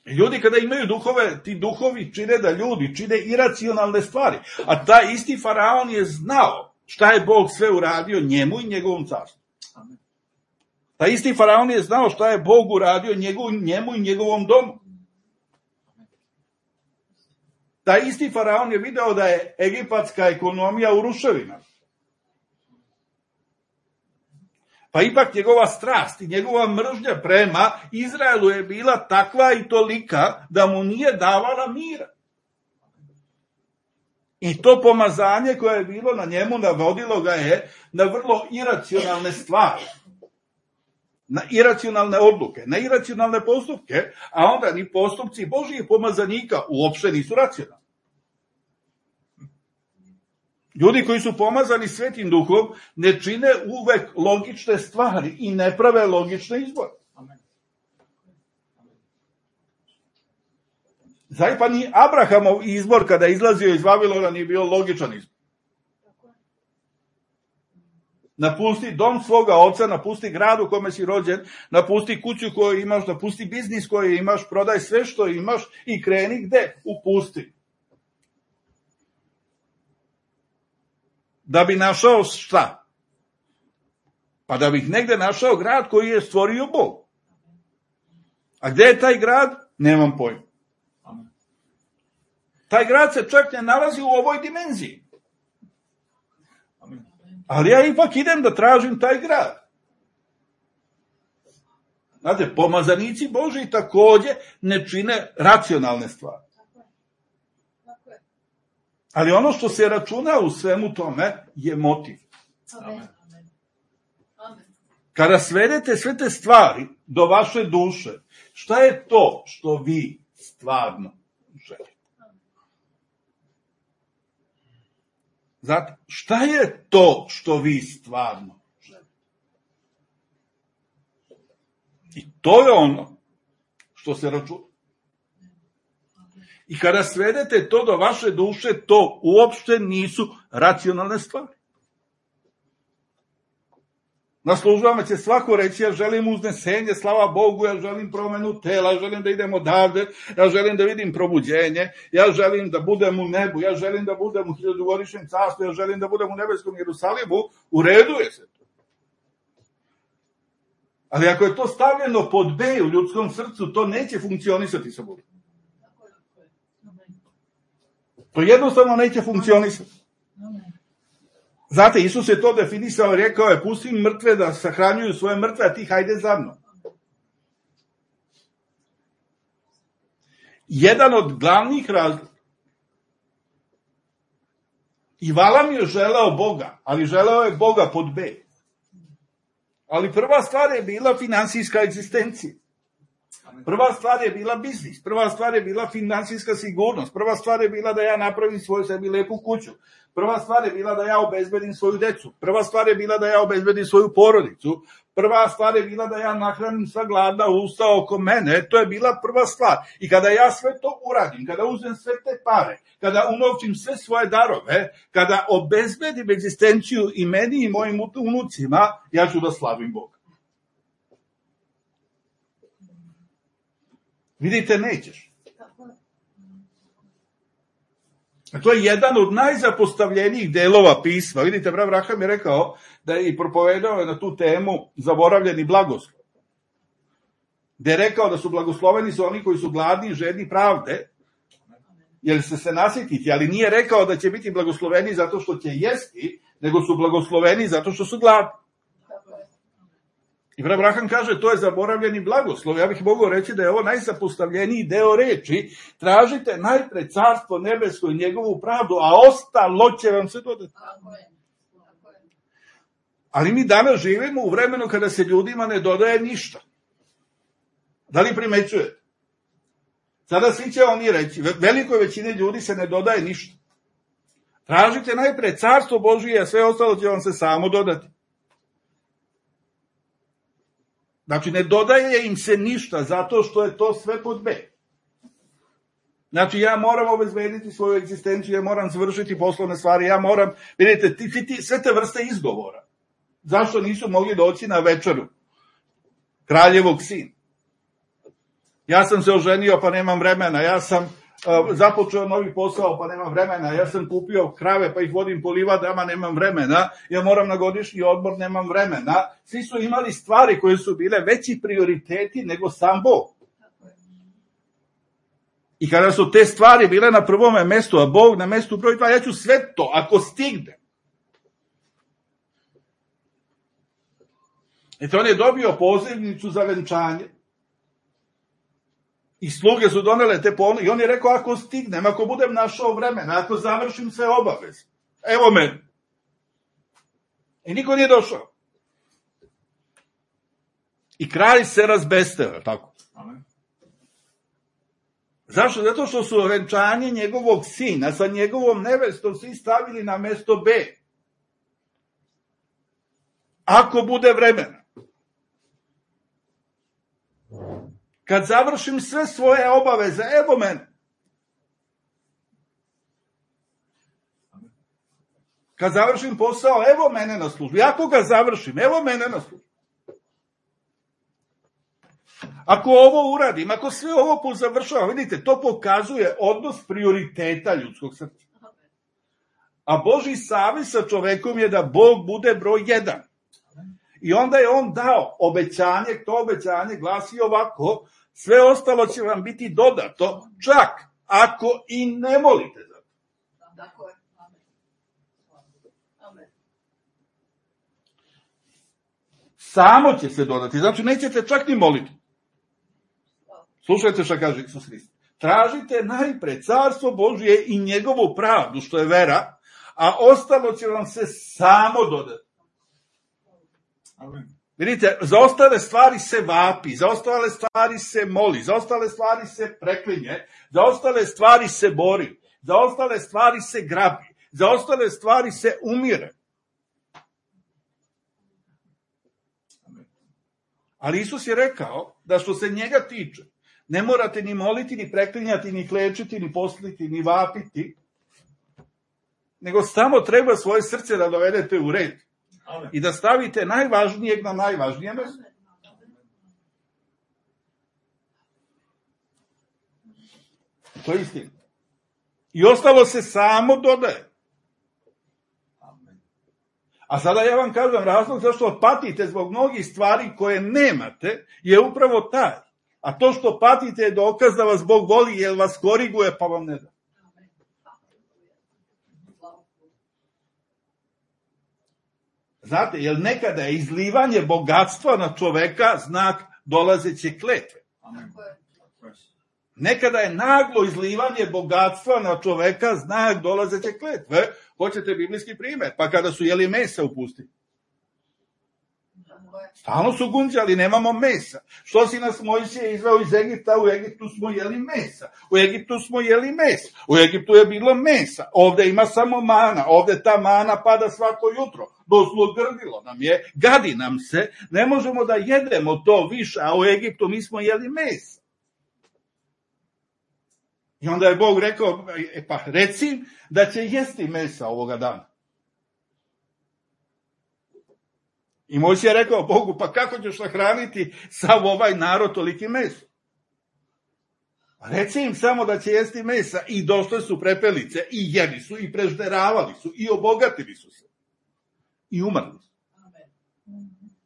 Speaker 1: Ljudi kada imaju duhove, ti duhovi čine da ljudi čine iracionalne stvari. A taj isti faraon je znao šta je Bog sve uradio njemu i njegovom carstvu. Taj isti faraon je znao šta je Bog uradio njemu i njegovom domu. Taj isti faraon je video da je egipatska ekonomija u ruševinama. Pa ipak njegova strast i njegova mržnja prema Izraelu je bila takva i tolika da mu nije davala mira. I to pomazanje koje je bilo na njemu navodilo ga je na vrlo iracionalne stvari. Na iracionalne odluke, na iracionalne postupke, a onda ni postupci Božijih pomazanika uopšte nisu racionalni. Ljudi koji su pomazani Svetim Duhom ne čine uvek logične stvari i ne prave logične izbore. Zaj pa ni Abrahamov izbor kada je izlazio iz Vavilona nije bio logičan izbor. Napusti dom svoga oca, napusti grad u kome si rođen, napusti kuću koju imaš, napusti biznis koji imaš, prodaj sve što imaš i kreni gde? U pustinju. Da bi našao šta? Pa da bih negde našao grad koji je stvorio Bog. A gde je taj grad? Nemam pojma. Taj grad se čak ne nalazi u ovoj dimenziji. Ali ja ipak idem da tražim taj grad. Znate, pomazanici Božiji takođe ne čine racionalne stvari. Ali ono što se računa u svemu tome je motiv. Kada svedete sve te stvari do vaše duše, šta je to što vi stvarno želite? Znate, šta je to što vi stvarno želite? I to je ono što se računa. I kada svedete to do vaše duše, to uopšte nisu racionalne stvari. Na službama će svako reći, ja želim uznesenje, slava Bogu, ja želim promenu tela, ja želim da idem odavde, ja želim da vidim probuđenje, ja želim da budem u nebu, ja želim da budem u 1000-godišnjem carstvu, ja želim da budem u nebeskom Jerusalimu, u redu je se to. Ali ako je to stavljeno pod B u ljudskom srcu, to neće funkcionisati sa Bogom. To jednostavno neće funkcionisati. Znate, Isus je to definisao i rekao je, pusti mrtve da sahranjuju svoje mrtve, a ti hajde za mnom. Jedan od glavnih razloga. I Valam je želeo Boga, ali želeo je Boga pod B. Ali prva stvar je bila finansijska egzistencija. Prva stvar je bila biznis, prva stvar je bila finansijska sigurnost, prva stvar je bila da ja napravim svoju sebi lepu kuću, prva stvar je bila da ja obezbedim svoju decu, prva stvar je bila da ja obezbedim svoju porodicu, prva stvar je bila da ja nahranim sva gladna usta oko mene, to je bila prva stvar. I kada ja sve to uradim, kada uzmem sve te pare, kada unovčim sve svoje darove, kada obezbedim egzistenciju i meni i mojim unucima, ja ću da slavim Boga. Vidite, nećeš. A to je jedan od najzapostavljenijih delova pisma. Vidite, brat Abraham je rekao da je i propovedao na tu temu zaboravljeni blagoslov. Gde je rekao da su blagosloveni su oni koji su gladni i žedni pravde, jer se nasjetiti, ali nije rekao da će biti blagosloveni zato što će jesti, nego su blagosloveni zato što su gladni. I brat Abraham kaže, to je zaboravljeni blagoslov. Ja bih mogao reći da je ovo najzapostavljeniji deo reči. Tražite najpre carstvo nebesko i njegovu pravdu, a ostalo će vam se dodati. Ali mi danas živimo u vremenu kada se ljudima ne dodaje ništa. Da li primećujete? Sada svi će oni reći, velikoj većini ljudi se ne dodaje ništa. Tražite najpre carstvo Božije, a sve ostalo će vam se samo dodati. Znači, ne dodaje im se ništa, zato što je to sve pod B. Znači, ja moram obezbediti svoju egzistenciju, ja moram završiti poslovne stvari, ja moram, vidite, sve te vrste izgovora. Zašto nisu mogli doći na večeru kraljevog sina? Ja sam se oženio, pa nemam vremena, ja sam započeo novi posao, pa nemam vremena, ja sam kupio krave, pa ih vodim po livadama, nemam vremena, ja moram na godišnji odmor, nemam vremena. Svi su imali stvari koje su bile veći prioriteti nego sam Bog. I kada su te stvari bile na prvome mestu, a Bog na mestu broj 2, ja ću sve to, ako stigne. Eto, on je dobio pozivnicu za venčanje. I sluge su donele te ponude. I on je rekao, ako stignem, ako budem našao vremena, ako završim sve obaveze, evo meni. I niko nije došao. I kralj se razbesteo, tako. Zašto? Zato što su venčanje njegovog sina sa njegovom nevestom svi stavili na mesto B. Ako bude vremena. Kad završim sve svoje obaveze, evo mene. Kad završim posao, evo mene na službi. Ako ga završim, evo mene na službi. Ako ovo uradim, ako sve ovo pozavršavam, vidite, to pokazuje odnos prioriteta ljudskog srca. A Božji savez sa čovekom je da Bog bude broj 1. I onda je on dao obećanje, to obećanje glasi ovako, sve ostalo će vam biti dodato, čak ako i ne molite za to. Samo će se dodati, znači nećete čak ni moliti. Slušajte šta kaže Isus Hrist. Tražite najpre carstvo Božje i njegovu pravdu, što je vera, a ostalo će vam se samo dodati. Amen. Vidite, za ostale stvari se vapi, za ostale stvari se moli, za ostale stvari se preklinje, za ostale stvari se bori, za ostale stvari se grabi, za ostale stvari se umire. Ali Isus je rekao da što se njega tiče, ne morate ni moliti, ni preklinjati, ni klečiti, ni posliti, ni vapiti, nego samo treba svoje srce da dovedete u red. I da stavite najvažnijeg na najvažnije mesto. To je istina. I ostalo se samo dodaje. A sada ja vam kažem, razlog zašto patite zbog mnogih stvari koje nemate je upravo taj. A to što patite je dokaz da vas Bog voli jer vas koriguje pa vam ne da. Znate, jer nekada je izlivanje bogatstva na čoveka znak dolazeće kletve. Nekada je naglo izlivanje bogatstva na čoveka znak dolazeće kletve. Hoćete biblijski primjer? Pa kada su jeli mesa u pustinji. Stalno su gunđali, nemamo mesa. Što si nas Mojsije izveo iz Egipta? U Egiptu smo jeli mesa. U Egiptu smo jeli mesa. U Egiptu je bilo mesa. Ovde ima samo mana. Ovde ta mana pada svako jutro. Dozlogrdilo nam je, gadi nam se. Ne možemo da jedemo to više, a u Egiptu mi smo jeli mesa. I onda je Bog rekao, pa reci da će jesti mesa ovoga dana. I Mojsije je rekao Bogu, pa kako ćeš nahraniti sav ovaj narod toliki mesa? Reci im samo da će jesti mesa i došle su prepelice i jeli su i prežderavali su i obogatili su se. I umrli su.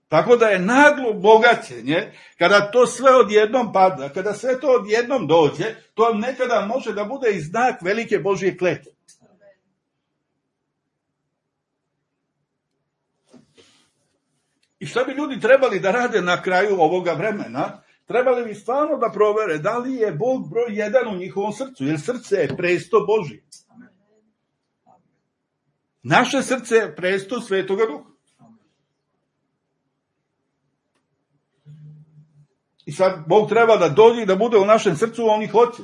Speaker 1: Tako da je naglo bogaćenje, kada to sve odjednom pada, kada sve to odjednom dođe, to nekada može da bude i znak velike Božje kletve. I šta bi ljudi trebali da rade na kraju ovoga vremena? Trebali bi stvarno da provere da li je Bog broj 1 u njihovom srcu, jer srce je presto Božje. Naše srce je presto Svetoga Duha. I sad Bog treba da dođe i da bude u našem srcu, on ih hoće.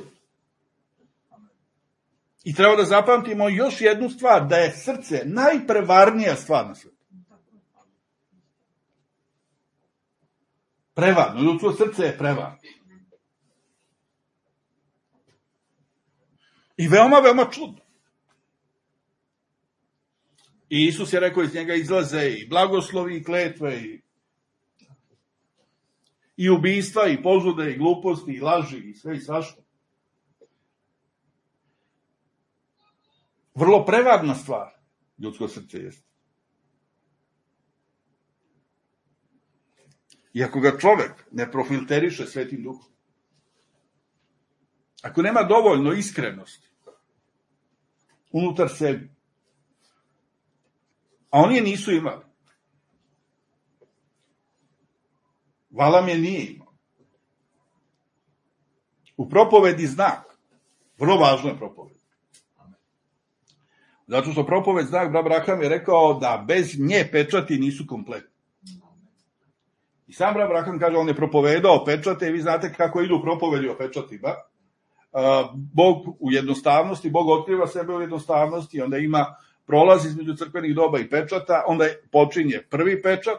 Speaker 1: I treba da zapamtimo još jednu stvar, da je srce najprevarnija stvar na svijetu. Prevarno, ljudsko srce je prevarno. I veoma, veoma čudno. I Isus je rekao, iz njega izlaze i blagoslovi i kletve i ubistva i požude i gluposti i laži i sve i svašta. Vrlo prevarna stvar ljudsko srce jeste. I ako ga čovek ne profilteriše Svetim Duhom, ako nema dovoljno iskrenosti unutar sebi, a oni je nisu imali, Valam je nije imao. U propovedi znak, vrlo važno je propoved. Zato što propoved znak, brat Braham je rekao da bez nje pečati nisu kompletni. I sam brat Braham kaže, on je propovedao pečate i vi znate kako idu propovedi o pečatima. Bog u jednostavnosti, Bog otkriva sebe u jednostavnosti, onda ima prolaz između crkvenih doba i pečata, onda počinje prvi pečat,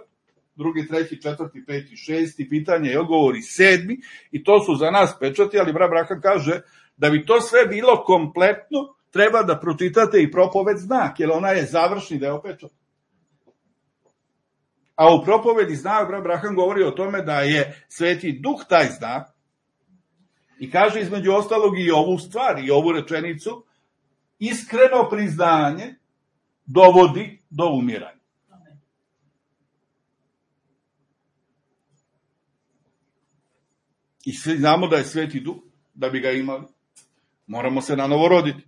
Speaker 1: drugi, treći, četvrti, peti, šesti, pitanje i odgovori, sedmi, i to su za nas pečati, ali brat Braham kaže da bi to sve bilo kompletno, treba da pročitate i propoved znak, jer ona je završni deo pečata. A u propovedi znak, brat Braham govori o tome da je Sveti Duh taj znak i kaže između ostalog i ovu stvar, i ovu rečenicu, iskreno priznanje dovodi do umiranja. I svi znamo da je Sveti Duh, da bi ga imali, moramo se nanovo roditi.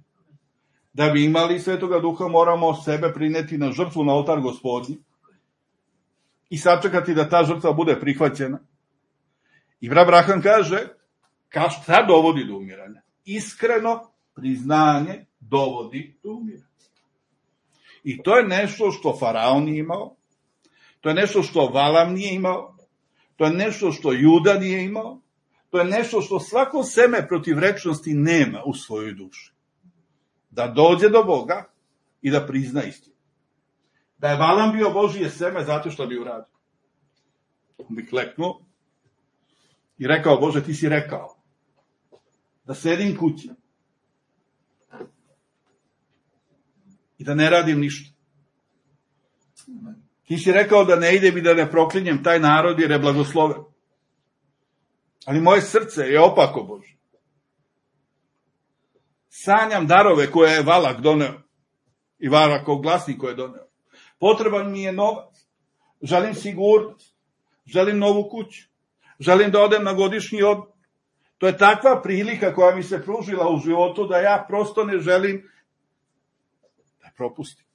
Speaker 1: Da bi imali Svetoga Duha, moramo sebe prineti na žrtvu na oltar Gospodnji i sačekati da ta žrtva bude prihvaćena. I brat Braham kaže, šta dovodi do umiranja? Iskreno priznanje dovodi do umiranja. I to je nešto što Faraon nije imao, to je nešto što Valam nije imao, to je nešto što Juda nije imao, to je nešto što svako seme protivrečnosti nema u svojoj duši. Da dođe do Boga i da prizna istinu. Da je Valam bio Božije seme, zato što bi uradio. On bi kleknuo i rekao, Bože, ti si rekao da sedim kući i da ne radim ništa. Ti si rekao da ne idem i da ne proklinjem taj narod jer je blagosloven. Ali moje srce je opako, Bože. Sanjam darove koje je Valak doneo i Valakov glasnik koje je doneo. Potreban mi je novac. Želim sigurnost. Želim novu kuću. Želim da odem na godišnji odmor. To je takva prilika koja mi se pružila u životu da ja prosto ne želim da propustim.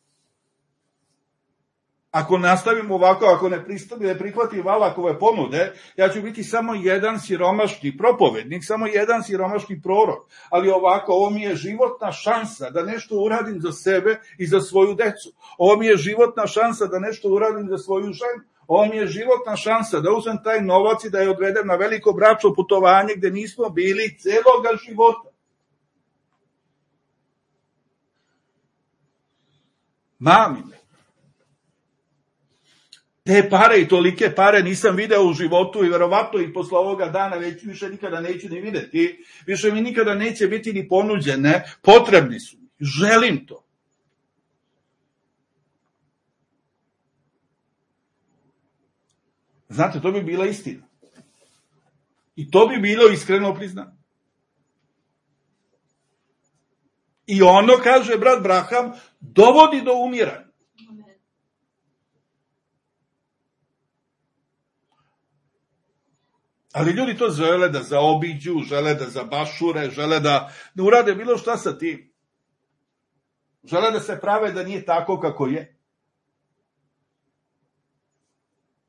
Speaker 1: Ako nastavim ovako, ako ne prihvatim Valakove ponude, ja ću biti samo jedan siromašni propovednik, samo jedan siromašni prorok. Ali ovako, ovo mi je životna šansa da nešto uradim za sebe i za svoju decu. Ovo mi je životna šansa da nešto uradim za svoju ženu. Ovo mi je životna šansa da uzmem taj novac i da je odvedem na veliko bračno putovanje gde nismo bili celoga života. Mamine, te pare i tolike pare nisam video u životu i verovatno i posle ovoga dana već više nikada neću ni videti, više mi nikada neće biti ni ponuđene, potrebni su mi, želim to. Znate, to bi bila istina. I to bi bilo iskreno priznanje. I ono, kaže brat Braham, dovodi do umiranja. Ali ljudi to žele da zaobiđu, žele da zabašure, žele da ne urade bilo šta sa tim. Žele da se prave da nije tako kako je.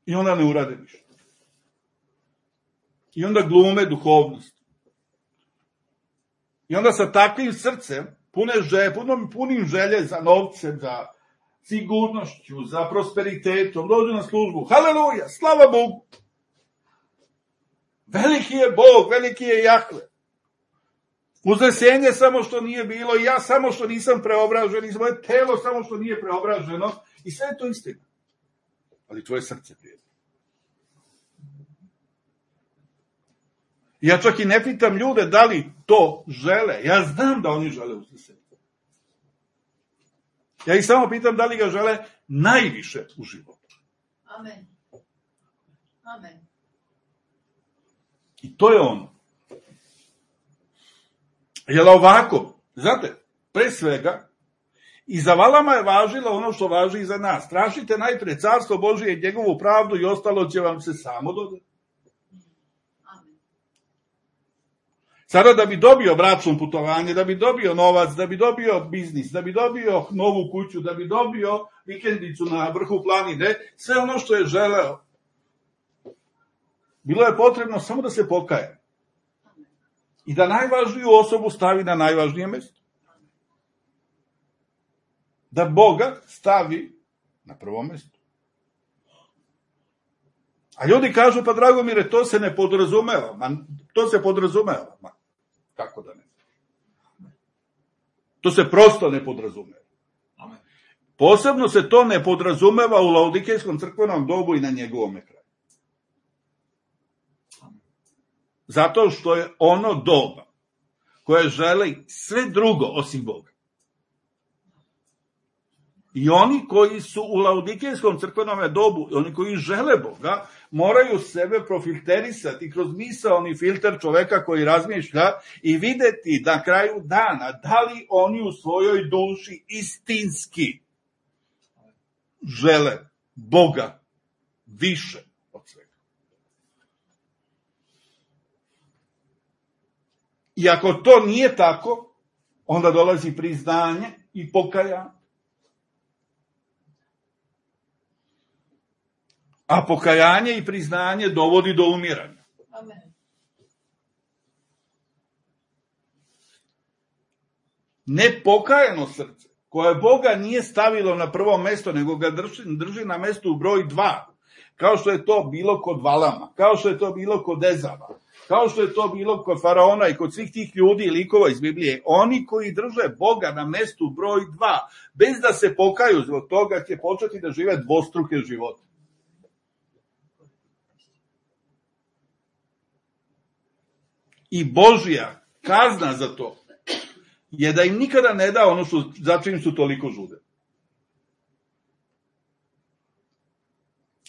Speaker 1: I onda ne urade ništa. I onda glume duhovnost. I onda sa takvim srcem, punim želje za novcem, za sigurnošću, za prosperitetom, dođu na službu. Haleluja, slava Bogu! Veliki je Bog, veliki je Jahve. Uznesenje samo što nije bilo, i ja samo što nisam preobražen, i moje telo samo što nije preobraženo, i sve je to istina. Ali tvoje srce, prijatelj. Ja čak i ne pitam ljude da li to žele. Ja znam da oni žele uskrsenje. Ja ih samo pitam da li ga žele najviše u životu.
Speaker 2: Amen. Amen.
Speaker 1: I to je ono. Jel ovako, znate, pre svega, i za Valama je važilo ono što važi i za nas. Tražite najpre carstvo Božije i njegovu pravdu i ostalo će vam se samo dodati. Sada da bi dobio bračno putovanje, da bi dobio novac, da bi dobio biznis, da bi dobio novu kuću, da bi dobio vikendicu na vrhu planine, sve ono što je želeo, bilo je potrebno samo da se pokaje. I da najvažniju osobu stavi na najvažnije mesto. Da Boga stavi na prvo mesto. A ljudi kažu, pa Dragomire, to se ne podrazumeva. To se podrazumeva. Kako da ne? To se prosto ne podrazumeva. Posebno se to ne podrazumeva u Laodikejskom crkvenom dobu i na njegovom kraju. Zato što je ono doba koje želi sve drugo osim Boga. I oni koji su u Laodikejskom crkvenom dobu, oni koji žele Boga, moraju sebe profilterisati kroz misaoni filter čoveka koji razmišlja i videti na kraju dana da li oni u svojoj duši istinski žele Boga više od svega. I ako to nije tako, onda dolazi priznanje i pokajanje. A pokajanje i priznanje dovodi do umiranja.
Speaker 2: Amen.
Speaker 1: Nepokajano srce, koje Boga nije stavilo na prvo mesto, nego ga drži na mestu u broj 2, kao što je to bilo kod Valama, kao što je to bilo kod Ezava, kao što je to bilo kod Faraona i kod svih tih ljudi i likova iz Biblije, oni koji drže Boga na mestu broj 2, bez da se pokaju zbog toga, će početi da žive dvostruke živote. I Božja kazna za to je da im nikada ne da ono za čim su toliko žude.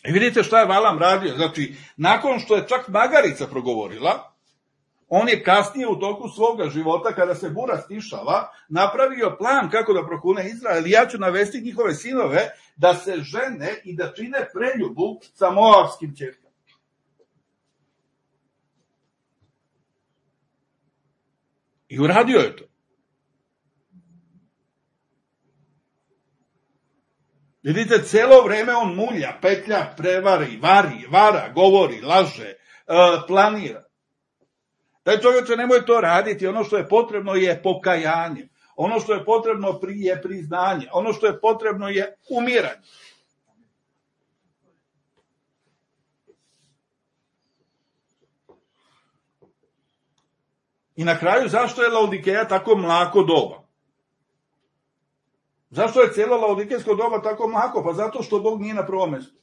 Speaker 1: I vidite šta je Valam radio. Znači, nakon što je čak magarica progovorila, on je kasnije u toku svoga života, kada se bura stišava, napravio plan kako da prokune Izrael. I ja ću navesti njihove sinove da se žene i da čine preljubu sa moavskim ćerkama. I uradio je to. Vidite, celo vreme on mulja, petlja, prevari, vara, govori, laže, planira. Taj čovječe, nemoj to raditi. Ono što je potrebno je pokajanje. Ono što je potrebno je priznanje. Ono što je potrebno je umiranje. I na kraju, zašto je Laodikeja tako mlako doba? Zašto je cijelo Laodikejsko doba tako mlako? Pa zato što Bog nije na prvom mjestu.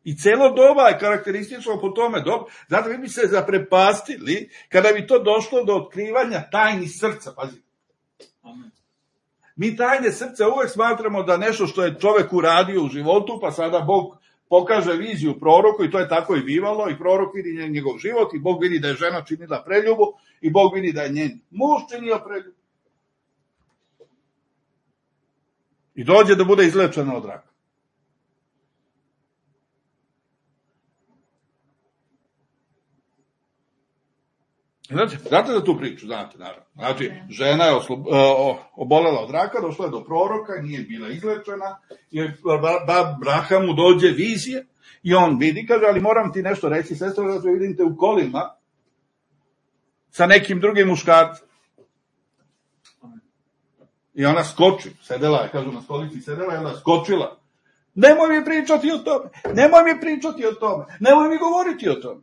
Speaker 1: I cijelo doba je karakteristično po tome dobu. Zato vi bi se zaprepastili kada bi to došlo do otkrivanja tajni srca. Pazite. Mi tajne srca uvek smatramo da nešto što je čovek uradio u životu, pa sada Bog pokaže viziju proroku i to je tako i bivalo i prorok vidi njegov život i Bog vidi da je žena činila preljubu i Bog vidi da je njen muž činio preljubu. I dođe da bude izlečena od raka. Znate za tu priču? Znate, naravno. Znači, žena je obolela od raka, došla je do proroka, nije bila izlečena, i Abrahamu dođe vizije i on vidi, kaže, ali moram ti nešto reći, sestra, da te vidim te u kolima sa nekim drugim muškarcem. I ona skoči, sedela je, kažu na stolici, sedela je, ona skočila. Nemoj mi pričati o tome, nemoj mi pričati o tome, nemoj mi govoriti o tome.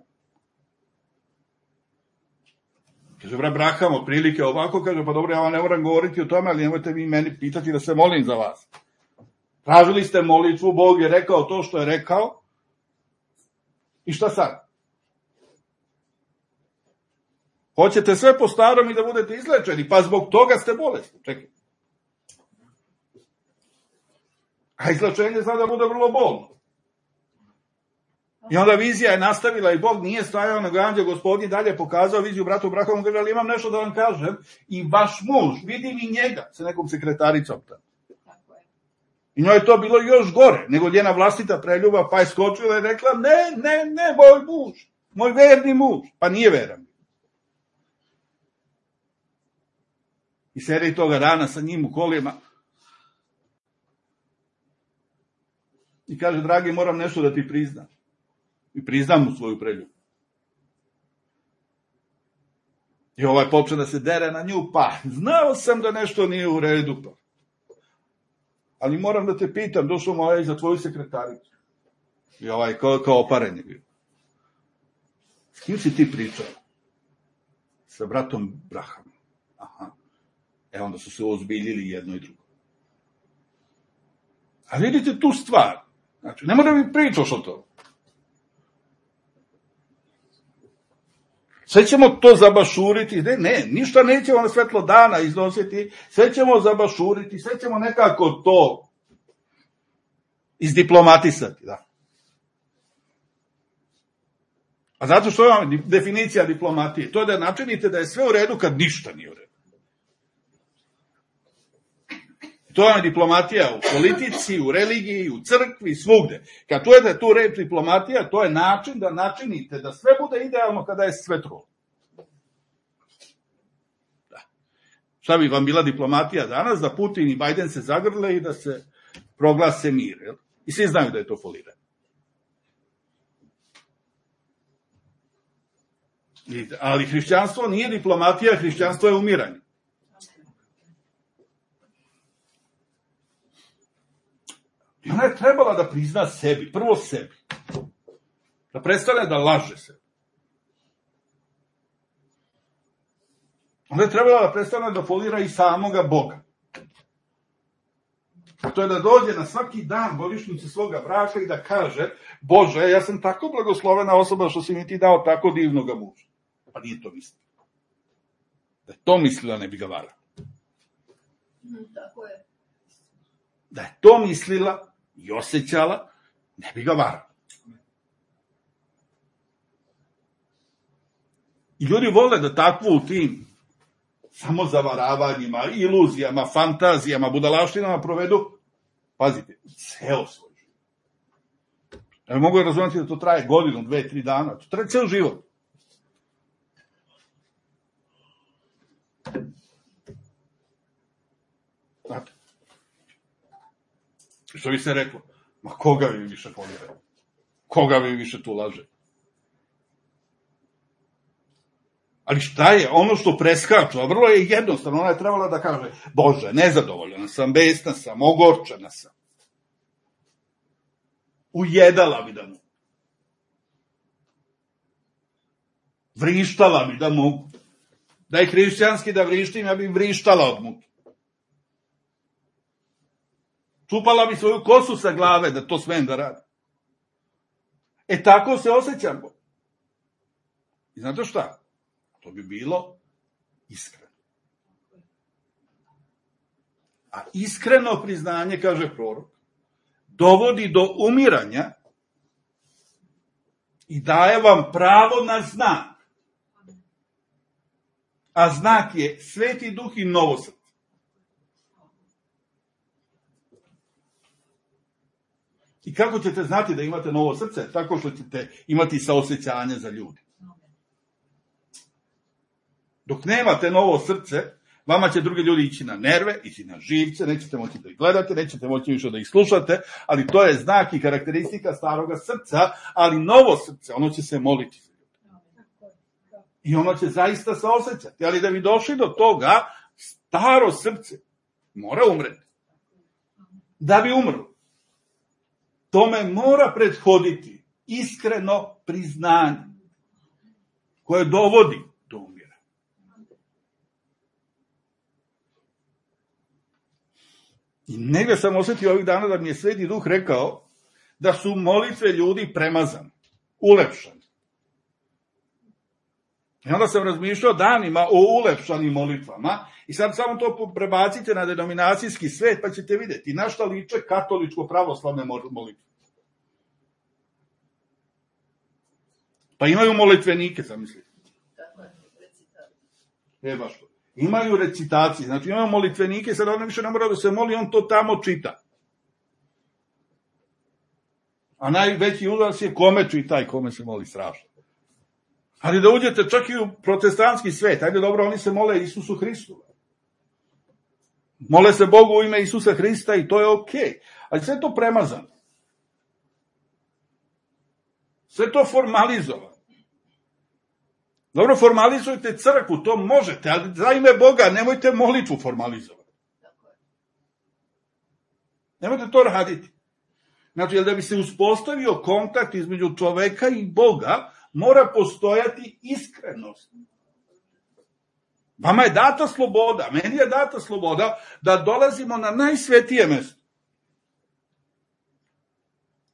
Speaker 1: Kaže, Abraham, otprilike ovako, kaže, pa dobro, ja vam ne moram govoriti o tome, ali nemojte vi meni pitati da se molim za vas. Tražili ste molitvu, Bog je rekao to što je rekao. I šta sad? Hoćete sve po starom i da budete izlečeni, pa zbog toga ste bolesni. Čekaj. A izlečenje zna da bude vrlo bolno. I onda vizija je nastavila i Bog nije stajao, nego anđeo Gospodnji dalje pokazao viziju bratu Brahovom, kaže, ali imam nešto da vam kažem, i vaš muž, vidim i njega, sa nekom sekretaricom tamo. I njoj je to bilo još gore, nego njena vlastita preljuba, pa je skočila i rekla, ne, moj muž, moj verni muž, pa nije veran. I sedi toga dana sa njim u kolima i kaže, dragi, moram nešto da ti priznam. I priznam mu svoju preljubu. I počne da se dere na nju, pa znao sam da nešto nije u redu, pa. Ali moram da te pitam, došao mu za tvoju sekretaricu. I kao oparen je bio. S kim si ti pričao? Sa bratom Brahom. Aha. Onda su se ozbiljili jedno i drugo. A vidite tu stvar. Znači, ne mora mi pričaš o to. Sve ćemo to zabašuriti, ne, ništa nećemo na svetlo dana iznositi, sve ćemo zabašuriti, sve ćemo nekako to izdiplomatisati, da. A zato što je definicija diplomatije, to je da načinite da je sve u redu kad ništa nije u redu. To je diplomatija u politici, u religiji, u crkvi, svugde. Kad čujete tu reč diplomatija, to je način da načinite da sve bude idealno kada je sve trulo. Da. Šta bi vam bila diplomatija danas? Da Putin i Bajden se zagrle i da se proglase mir. Jel? I svi znaju da je to foliranje. Ali hrišćanstvo nije diplomatija, hrišćanstvo je umiranje. I ona je trebala da prizna sebi, prvo sebi. Da prestane da laže se. Ona je trebala da prestane da folira i samoga Boga. A to je da dođe na svaki dan godišnjice svoga braka i da kaže, Bože, ja sam tako blagoslovena osoba što si mi ti dao tako divnoga muža. Pa nije to mislila. Da je to mislila, ne bi ga varala.
Speaker 2: Tako je.
Speaker 1: Da je to mislila i osjećala, ne bi ga varala. I ljudi vole da takvu u tim samozavaravanjima, iluzijama, fantazijama, budalaštinama provedu, pazite, ceo svoj život. Ja mogu razumjeti da to traje godinu, 2, 3 dana, to traje ceo život. Znate, što bi se reklo, ma koga vi više folirate? Koga vi više tu laže? Ali šta je? Ono što preskaču, a vrlo je jednostavno, ona je trebala da kaže, Bože, nezadovoljena sam, besna sam, ogorčena sam. Ujedala bi da mogu. Vrištala bi da mogu. Da je hrišćanski da vrištim, ja bi vrištala od muke. Čupala bi svoju kosu sa glave da to smem da radim. Tako se osjećamo. I znate šta? To bi bilo iskreno. A iskreno priznanje, kaže prorok, dovodi do umiranja i daje vam pravo na znak. A znak je Sveti Duh i novo srce. I kako ćete znati da imate novo srce? Tako što ćete imati saosećanje za ljudi. Dok nemate novo srce, vama će drugi ljudi ići na nerve, ići na živce, nećete moći da ih gledate, nećete moći više da ih slušate, ali to je znak i karakteristika staroga srca, ali novo srce, ono će se moliti. I ono će zaista saosećati. Ali da bi došli do toga, staro srce mora umreti. Da bi umrlo. Tome mora prethoditi iskreno priznanje koje dovodi do umira. I negdje sam osjetio ovih dana da mi je Sveti Duh rekao da su molitve ljudi premazane, ulepšane. I onda sam razmišljao danima o ulepšanim molitvama i sad samo to prebacite na denominacijski svet pa ćete vidjeti na šta liče katoličko-pravoslavne molitve. Pa imaju molitvenike, zamislite. Baš to. Imaju recitacije, znači imaju molitvenike, sad on više ne mora da se moli, on to tamo čita. A najveći udarac je kome čita i kome se moli, strašno. Ali da uđete čak i u protestantski svet, ajde dobro, oni se mole Isusu Hristu. Mole se Bogu u ime Isusa Hrista i to je okej. Ali sve to premazano. Sve to formalizovano. Dobro, formalizujte crkvu, to možete, ali za ime Boga nemojte molitvu formalizovati. Nemojte to raditi. Znači, da bi se uspostavio kontakt između čoveka i Boga, mora postojati iskrenost. Vama je data sloboda, meni je data sloboda da dolazimo na najsvetije mesto.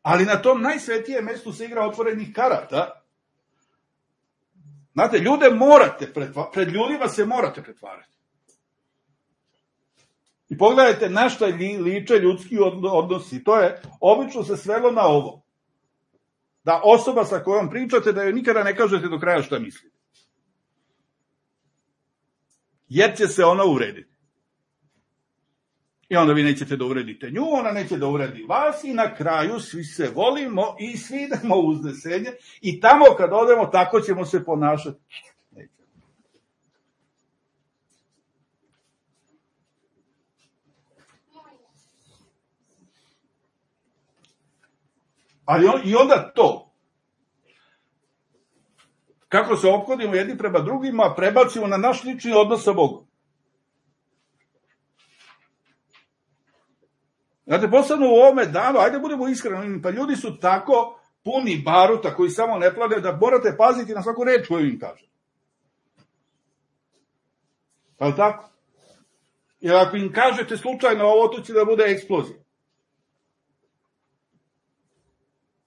Speaker 1: Ali na tom najsvetijem mestu se igra otvorenih karata. Znate, ljude morate pred ljudima se morate pretvarati. I pogledajte na šta liče ljudski odnosi. To je, obično se svelo na ovo. Da osoba sa kojom pričate, da joj nikada ne kažete do kraja šta mislite. Jer će se ona uvrediti. I onda vi nećete da uvredite nju, ona neće da uvredi vas i na kraju svi se volimo i svi idemo u uznesenje i tamo kad odemo tako ćemo se ponašati. Ali i onda to, kako se ophodimo jedni prema drugima, prebacimo na naš lični odnos sa Bogom. Znate, posebno u ovome danu, ajde budemo iskreni, pa ljudi su tako puni baruta koji samo ne plane da morate paziti na svaku reč koju im kaže. Pa je tako? Jer ako im kažete slučajno ovo, to će da bude eksplozija.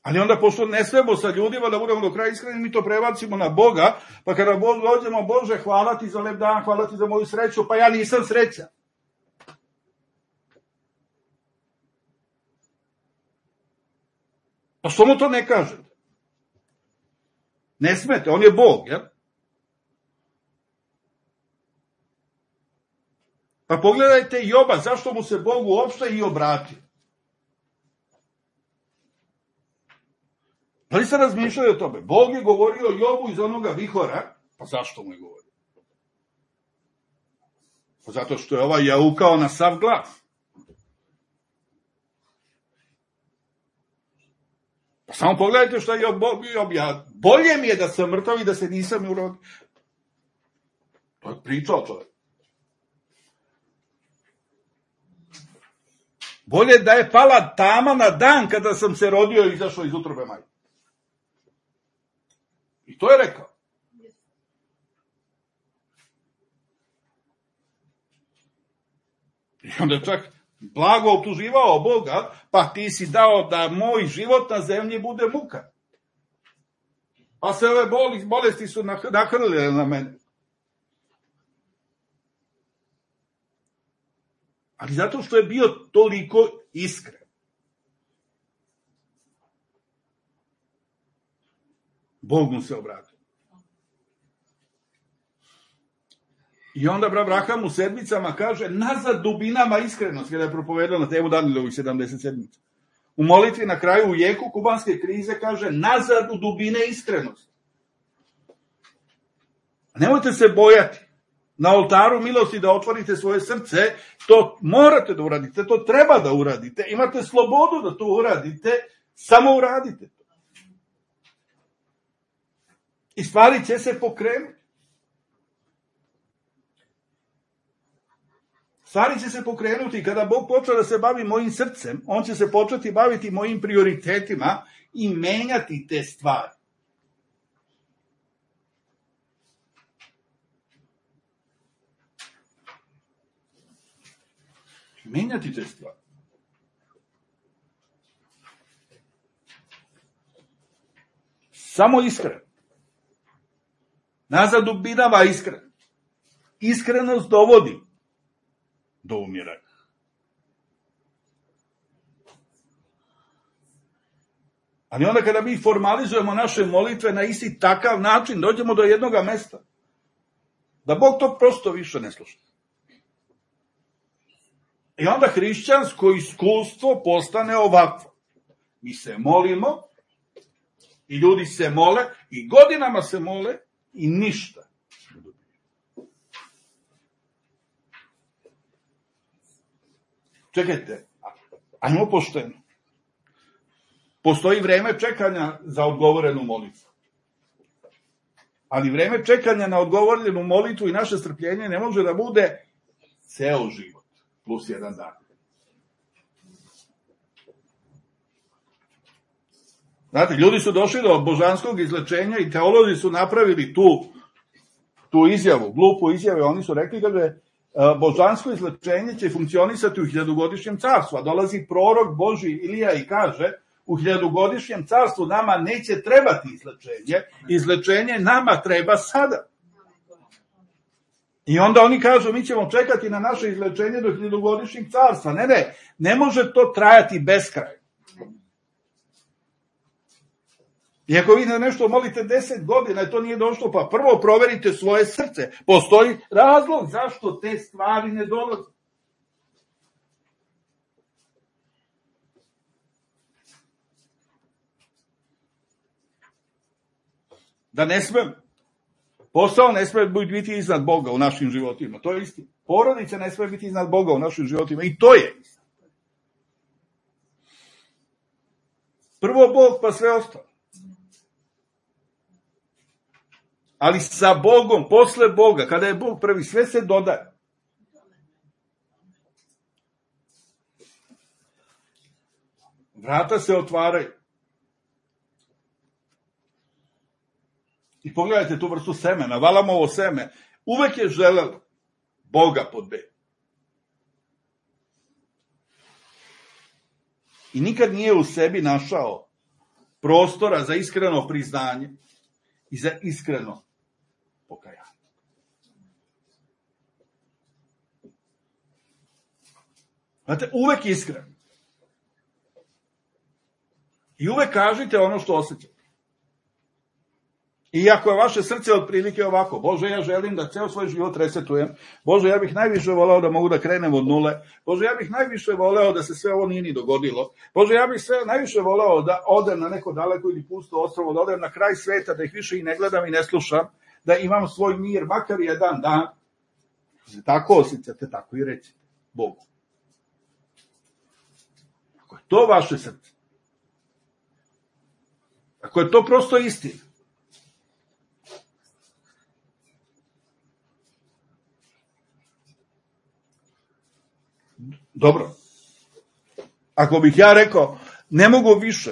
Speaker 1: Ali onda, pošto ne smemo sa ljudima da budemo do kraja iskreni, mi to prebacimo na Boga, pa kada dođemo, Bože, hvala ti za lep dan, hvala ti za moju sreću, pa ja nisam srećan. Pa što mu to ne kažete? Ne smete, on je Bog, jel? Pa pogledajte Joba, zašto mu se Bog uopšte i obratio? Da li ste razmišljali o tome? Bog je govorio Jobu iz onoga vihora, pa zašto mu je govorio? Pa zato što je ovaj jaukao na sav glas. Pa samo pogledajte što je Job, bolje mi je da sam mrtav i da se nisam urodio. To je pričao čovjek. Bolje da je pala tama na dan kada sam se rodio i izašao iz utrobe majke. I to je rekao. I onda je čak blago optuživao Boga, pa ti si dao da moj život na zemlji bude muka. Pa se ove bolesti su nahrlile na mene. Ali zato što je bio toliko iskren. Bog mu se obratio. I onda Abraham u sedmicama kaže nazad dubinama iskrenosti, kada je propovedao na temu Danijelovih 70 sedmica. U molitvi na kraju u jeku kubanske krize kaže nazad u dubine iskrenosti. Nemojte se bojati. Na oltaru milosti da otvorite svoje srce, to morate da uradite, to treba da uradite. Imate slobodu da to uradite, samo uradite to. I stvari će se pokrenuti. Stvari će se pokrenuti kada Bog počne da se bavi mojim srcem, on će se početi baviti mojim prioritetima i menjati te stvari. Menjati te stvari. Samo iskreno. Nazad dubinama iskrenost. Iskrenost dovodi do umiranja. Ali onda kada mi formalizujemo naše molitve na isti takav način, dođemo do jednog mesta. Da Bog to prosto više ne sluša. I onda hrišćansko iskustvo postane ovakvo. Mi se molimo, i ljudi se mole, i godinama se mole, i ništa. Čekajte, ajmo pošteno. Postoji vreme čekanja za odgovorenu molitvu. Ali vreme čekanja na odgovorenu molitvu i naše strpljenje ne može da bude ceo život, plus jedan dan. Znate, ljudi su došli do božanskog izlečenja i teolozi su napravili tu izjavu, glupu izjavu. Oni su rekli, kaže, božansko izlečenje će funkcionisati u 1000-godišnjem carstvu, a dolazi prorok Božji Ilija i kaže, u 1000-godišnjem carstvu nama neće trebati izlečenje, izlečenje nama treba sada. I onda oni kažu, mi ćemo čekati na naše izlečenje do 1000-godišnjeg carstva. Ne može to trajati beskrajno. I ako vi na nešto molite 10 godina i to nije došlo, pa prvo proverite svoje srce. Postoji razlog zašto te stvari ne dolaze. Da ne smem. Posao ne sme biti iznad Boga u našim životima. To je istina. Porodica ne sme biti iznad Boga u našim životima. I to je istina. Prvo Bog, pa sve ostalo. Ali sa Bogom, posle Boga, kada je Bog prvi, sve se dodaje. Vrata se otvaraju. I pogledajte tu vrstu semena, Valamovo seme, uvek je želelo Boga pod B. I nikad nije u sebi našao prostora za iskreno priznanje i za iskreno pokajanje. Znate, uvek iskreno. I uvek kažite ono što osjećate. I ako je vaše srce otprilike ovako, Bože, ja želim da ceo svoj život resetujem, Bože, ja bih najviše voleo da mogu da krenem od nule, Bože, ja bih najviše voleo da se sve ovo nije ni dogodilo, Bože, ja bih najviše voleo da odem na neko daleko ili pusto ostrvo, da odem na kraj sveta, da ih više i ne gledam i ne slušam, da imam svoj mir, makar jedan dan. Tako osjećate, tako i recite Bogu. Ako je to vaše srce, ako je to prosto istina, dobro. Ako bih ja rekao, ne mogu više.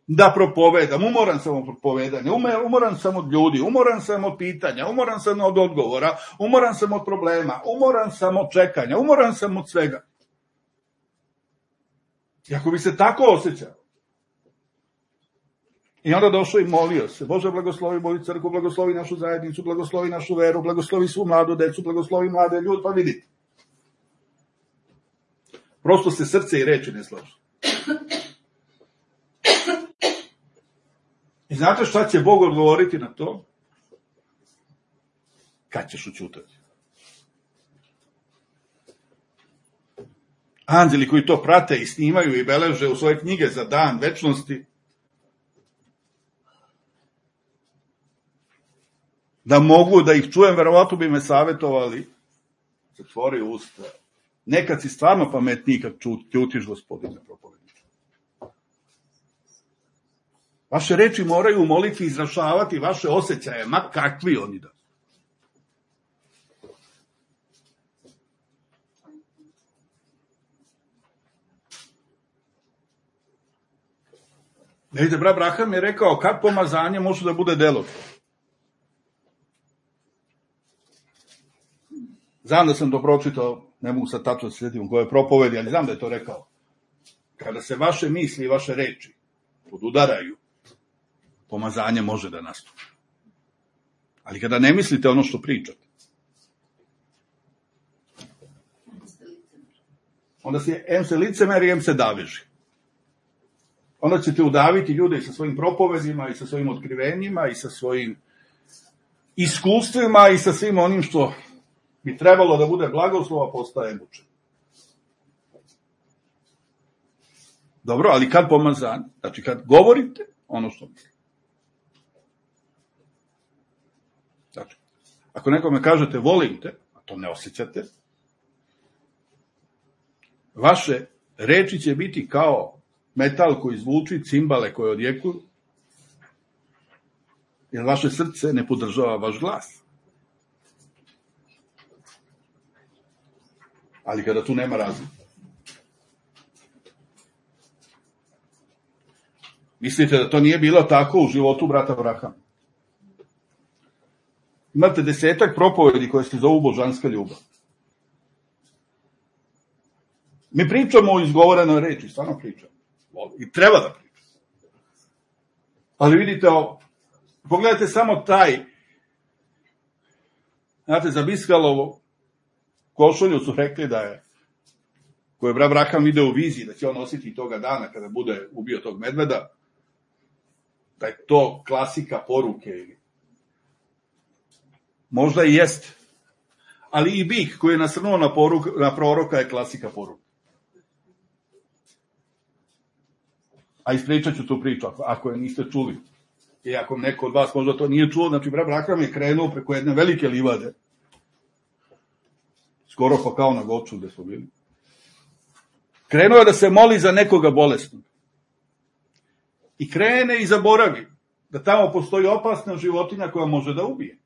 Speaker 1: Da propovedam, umoran sam od propovedanja, umoran sam od ljudi, umoran sam od pitanja, umoran sam od odgovora, umoran sam od problema, umoran sam od čekanja, umoran sam od svega. I ako bi se tako osjećao, i onda došao i molio se, Bože, blagoslovi moju crkvu, blagoslovi našu zajednicu, blagoslovi našu veru, blagoslovi svu mladu decu, blagoslovi mlade ljudi, pa vidite. Prosto se srce i reči ne slažu. I znate šta će Bog odgovoriti na to? Kad ćeš ućutati? Anđeli koji to prate i snimaju i beleže u svoje knjige za dan večnosti, da mogu da ih čujem, verovatno bi me savjetovali, zatvori usta. Nekad si stvarno pametniji kad ćutiš, Gospodine propovedniče. Vaše reči moraju u molitvi izražavati vaše osjećaje, ma kakvi oni da. Vidite, brat Braham je rekao, kad pomazanje može da bude delotvorno. Znam da sam to pročitao, ne mogu sad tačno se sjetiti u kojoj propovedi, ali znam da je to rekao. Kada se vaše misli i vaše reči podudaraju, pomazanje može da nastupi. Ali kada ne mislite ono što pričate, onda se licemeri, em se daveži. Onda ćete udaviti ljude i sa svojim propovedima, i sa svojim otkrivenjima, i sa svojim iskustvima, i sa svim onim što bi trebalo da bude blagoslova, postaje mučen. Dobro, ali kad pomazanje? Znači, kad govorite ono što mislite. Znači, ako nekome kažete volim te, a to ne osjećate, vaše reči će biti kao metal koji zvuči, cimbale koje odjekuju, jer vaše srce ne podržava vaš glas. Ali kada tu nema razlike. Mislite da to nije bilo tako u životu brata Abrahama? Imate 10 propovedi koje se zovu božanska ljubav. Mi pričamo o izgovorenoj reči, stvarno pričamo. I treba da pričamo. Ali vidite ovo, pogledajte samo taj, znate, za Biskalovo košulju su rekli da je, koju je brat Abraham video u viziji, da će on nositi toga dana kada bude ubio tog medveda, da je to klasika poruke. Možda i jest. Ali i bik koji je nasrnuo na proroka je klasika poruke. A ispričat ću tu priču, ako je niste čuli. I ako neko od vas možda to nije čuo, znači brat Abraham je krenuo preko jedne velike livade. Skoro pa kao na Goču gde smo bili. Krenuo je da se moli za nekoga bolesnog. I krene i zaboravi da tamo postoji opasna životinja koja može da ubije.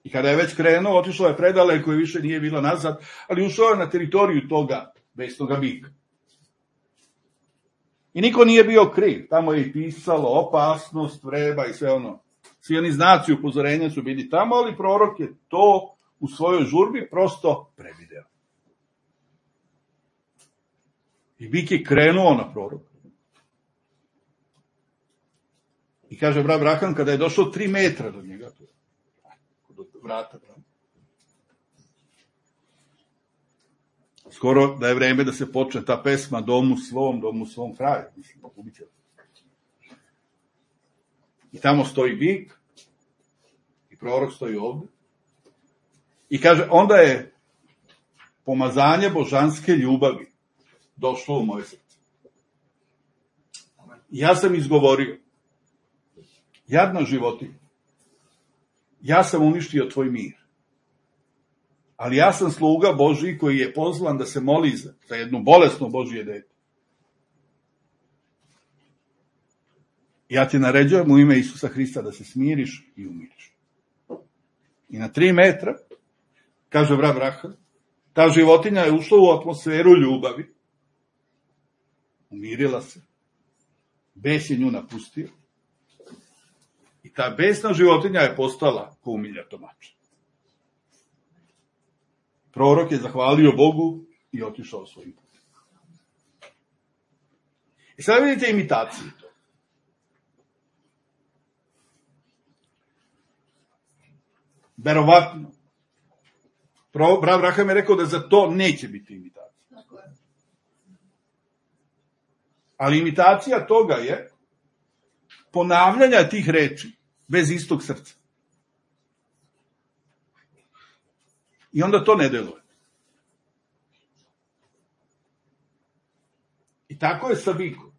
Speaker 1: I kada je već krenuo, otišao je predaleko i više nije bilo nazad, ali ušao je na teritoriju toga besnoga bika. I niko nije bio kriv. Tamo je i pisalo opasnost, vreba i sve ono. Svi oni znaci upozorenja su bili tamo, ali prorok je to u svojoj žurbi prosto prevideo. I bik je krenuo na prorok. I kaže brat Abraham, kada je došao 3 metra do njega, do vrata, skoro da je vreme da se počne ta pesma domu svom kraju. Mislim, ubit. I tamo stoji bik, i prorok stoji ovde. I kaže, onda je pomazanje božanske ljubavi došlo u moje srce. Ja sam izgovorio, jadna životinja, ja sam uništio tvoj mir. Ali ja sam sluga Božji koji je pozvan da se moli za jedno bolesno Božje dete. Ja ti naređujem u ime Isusa Hrista da se smiriš i umiriš. I na 3 metra, kaže brat Abraham, ta životinja je ušla u atmosferu ljubavi, umirila se, bes je nju napustio i ta besna životinja je postala ko umiljato mače. Prorok je zahvalio Bogu i otišao svojim putem. I sad vidite imitaciju to. Verovatno. Brat Abraham je rekao da za to neće biti imitacija. Ali imitacija toga je ponavljanja tih reči bez istog srca. I onda to ne deluje. I tako je sa bikom.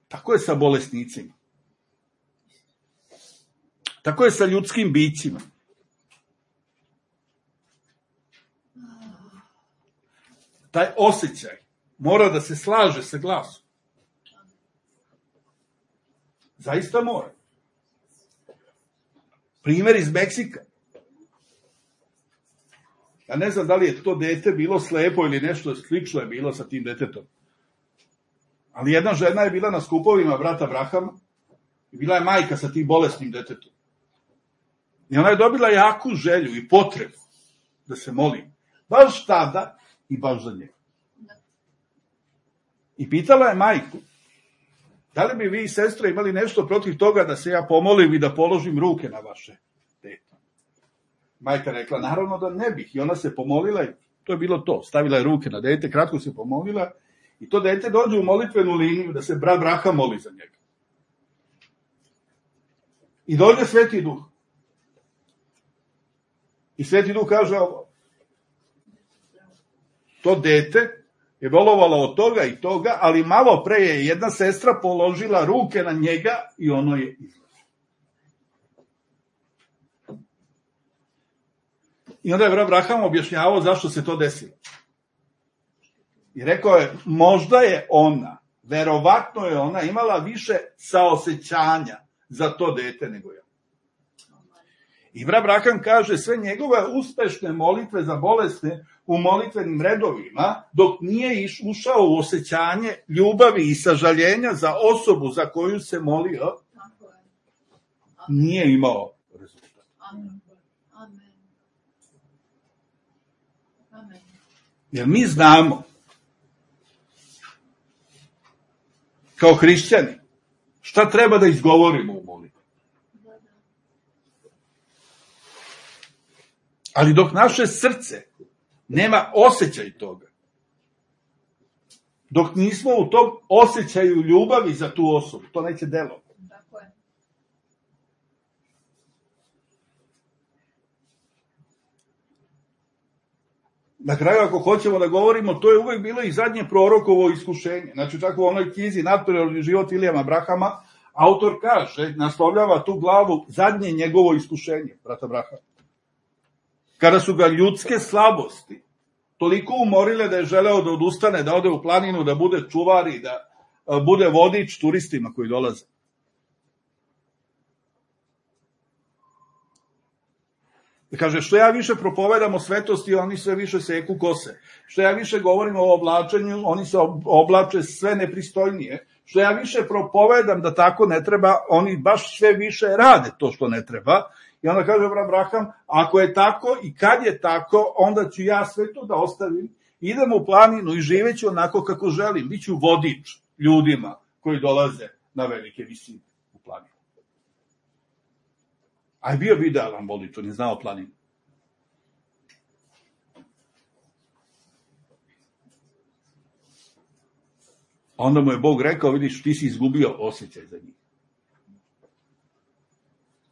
Speaker 1: Tako je sa bolesnicima. Tako je sa ljudskim bićima. Taj osjećaj mora da se slaže sa glasom. Zaista mora. Primer iz Meksika. Ja ne znam da li je to dete bilo slepo ili nešto slično je bilo sa tim detetom. Ali jedna žena je bila na skupovima brata Abrahama i bila je majka sa tim bolesnim detetom. I ona je dobila jaku želju i potrebu da se moli. Baš tada i baš za njega. I pitala je majku, da li bi vi, sestre, imali nešto protiv toga da se ja pomolim i da položim ruke na vaše dete? Majka rekla, naravno da ne bih. I ona se pomolila i to je bilo to. Stavila je ruke na dete, kratko se pomolila i to dete dođe u molitvenu liniju da se brat Braha moli za njega. I dođe Sveti Duh. I Sveti Duh kaže ovo. To dete je bolovalo od toga i toga, ali malo pre je jedna sestra položila ruke na njega i ono je izlazilo. I onda je brat Braham objašnjavao zašto se to desilo. I rekao je, možda je ona, verovatno je ona imala više saosećanja za to dete nego ja. I brat Braham kaže, sve njegove uspešne molitve za bolesne u molitvenim redovima, dok nije ušao u osjećanje ljubavi i sažaljenja za osobu za koju se molio, nije imao rezultat. Jer mi znamo, kao hrišćani, šta treba da izgovorimo u molitvi. Ali dok naše srce nema osjećaj toga, dok nismo u tom osjećaju ljubavi za tu osobu, to neće delovati. Na kraju, ako hoćemo da govorimo, to je uvek bilo i zadnje prorokovo iskušenje. Znači, čak u onoj knjizi Natprirodni život Vilijama Brahama, autor kaže, naslovljava tu glavu zadnje njegovo iskušenje, brata Brahama. Kada su ga ljudske slabosti toliko umorile da je želeo da odustane, da ode u planinu, da bude čuvar i da bude vodič turistima koji dolaze. Kaže, što ja više propovedam o svetosti, oni sve više seku kose. Što ja više govorim o oblačenju, oni se oblače sve nepristojnije. Što ja više propovedam da tako ne treba, oni baš sve više rade to što ne treba. I onda kaže brat Braham, ako je tako i kad je tako, onda ću ja sve to da ostavim, idem u planinu i živeću onako kako želim. Biću vodič ljudima koji dolaze na velike visine u planinu. A je bio bi idealan vodič, on je znao planinu. Onda mu je Bog rekao, vidiš, ti si izgubio osjećaj za njih.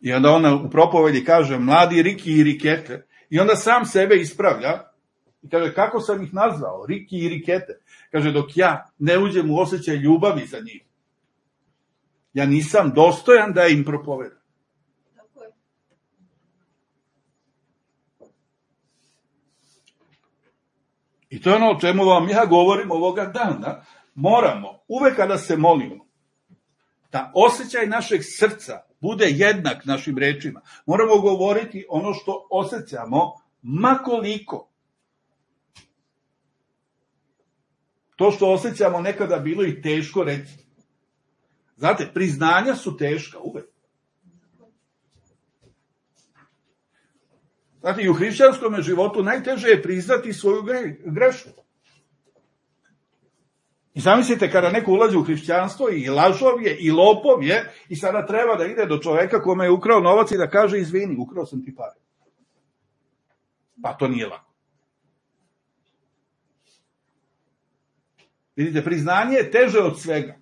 Speaker 1: I onda ona u propovedi kaže, mladi Riki i Rikete. I onda sam sebe ispravlja i kaže, kako sam ih nazvao, Riki i Rikete. Kaže, dok ja ne uđem u osjećaj ljubavi za njih, ja nisam dostojan da im propovedam. I to je ono o čemu vam ja govorim ovoga dana. Moramo, uvek kada se molimo, da osjećaj našeg srca bude jednak našim rečima. Moramo govoriti ono što osjećamo, makoliko. To što osjećamo nekada bilo i teško reći. Znate, priznanja su teška uvek. Znate, i u hrišćanskom životu najteže je priznati svoju grešku. I zamislite kada neko ulazi u hrišćanstvo i lažov je i lopov je i sada treba da ide do čoveka kome je ukrao novac i da kaže izvini, ukrao sam ti pare. Pa to nije lako. Vidite, priznanje je teže od svega.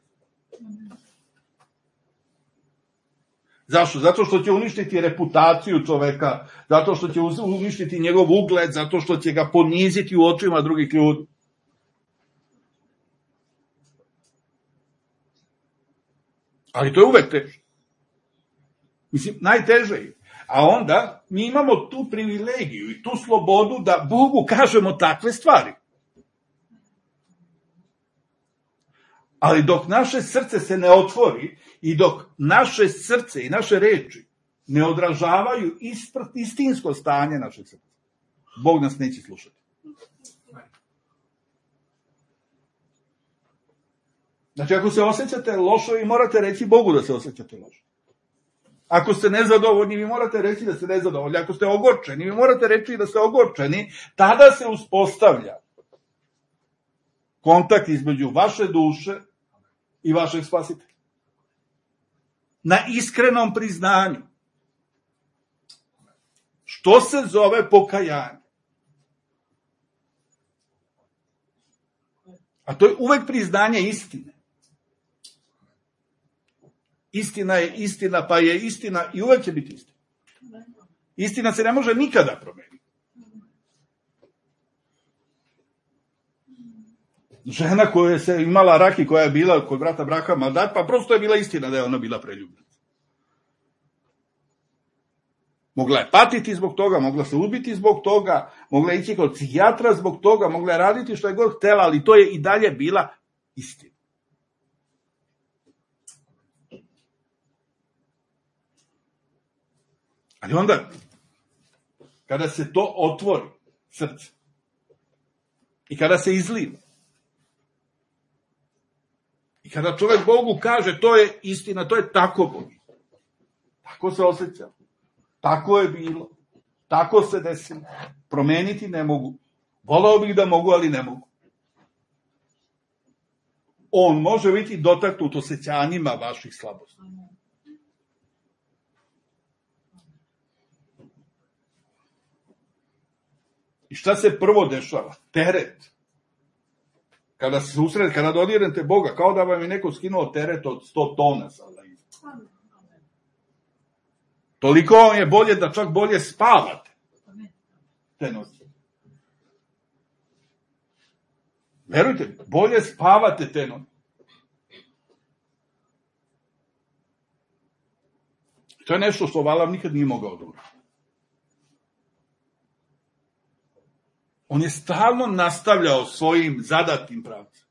Speaker 1: Zašto? Zato što će uništiti reputaciju čoveka, zato što će uništiti njegov ugled, zato što će ga poniziti u očima drugih ljudi. Ali to je uvek teže. Mislim, najteže je. A onda mi imamo tu privilegiju i tu slobodu da Bogu kažemo takve stvari. Ali dok naše srce se ne otvori i dok naše srce i naše reči ne odražavaju istinsko stanje našeg srca, Bog nas neće slušati. Znači, ako se osjećate lošo, vi morate reći Bogu da se osjećate lošo. Ako ste nezadovoljni, vi morate reći da ste nezadovoljni. Ako ste ogorčeni, vi morate reći da ste ogorčeni. Tada se uspostavlja kontakt između vaše duše i vašeg spasitelja. Na iskrenom priznanju. Što se zove pokajanje? A to je uvek priznanje istine. Istina je istina, pa je istina i uvek će biti istina. Istina se ne može nikada promeniti. Žena koja je imala rak i koja je bila kod brata Brahama, pa prosto je bila istina da je ona bila preljubljena. Mogla je patiti zbog toga, mogla se ubiti zbog toga, mogla je ići kod psihijatra zbog toga, mogla je raditi što je god htela, ali to je i dalje bila istina. Ali onda, kada se to otvori, srce, i kada se izliva, i kada čovjek Bogu kaže to je istina, to je tako Bogu, tako se osjeća, tako je bilo, tako se desilo, promeniti ne mogu, voleo bih da mogu, ali ne mogu. On može biti dotaknut osjećanjima vaših slabosti. I šta se prvo dešava? Teret. Kada se susrete, kada dodirnete Boga, kao da vam je neko skinuo teret od 100 tona. Toliko vam je bolje da čak bolje spavate te noći. Verujte, bolje spavate te noći. To je nešto što Valam nikad nije mogao da uradi. On je stalno nastavljao svojim zadatim pravcem.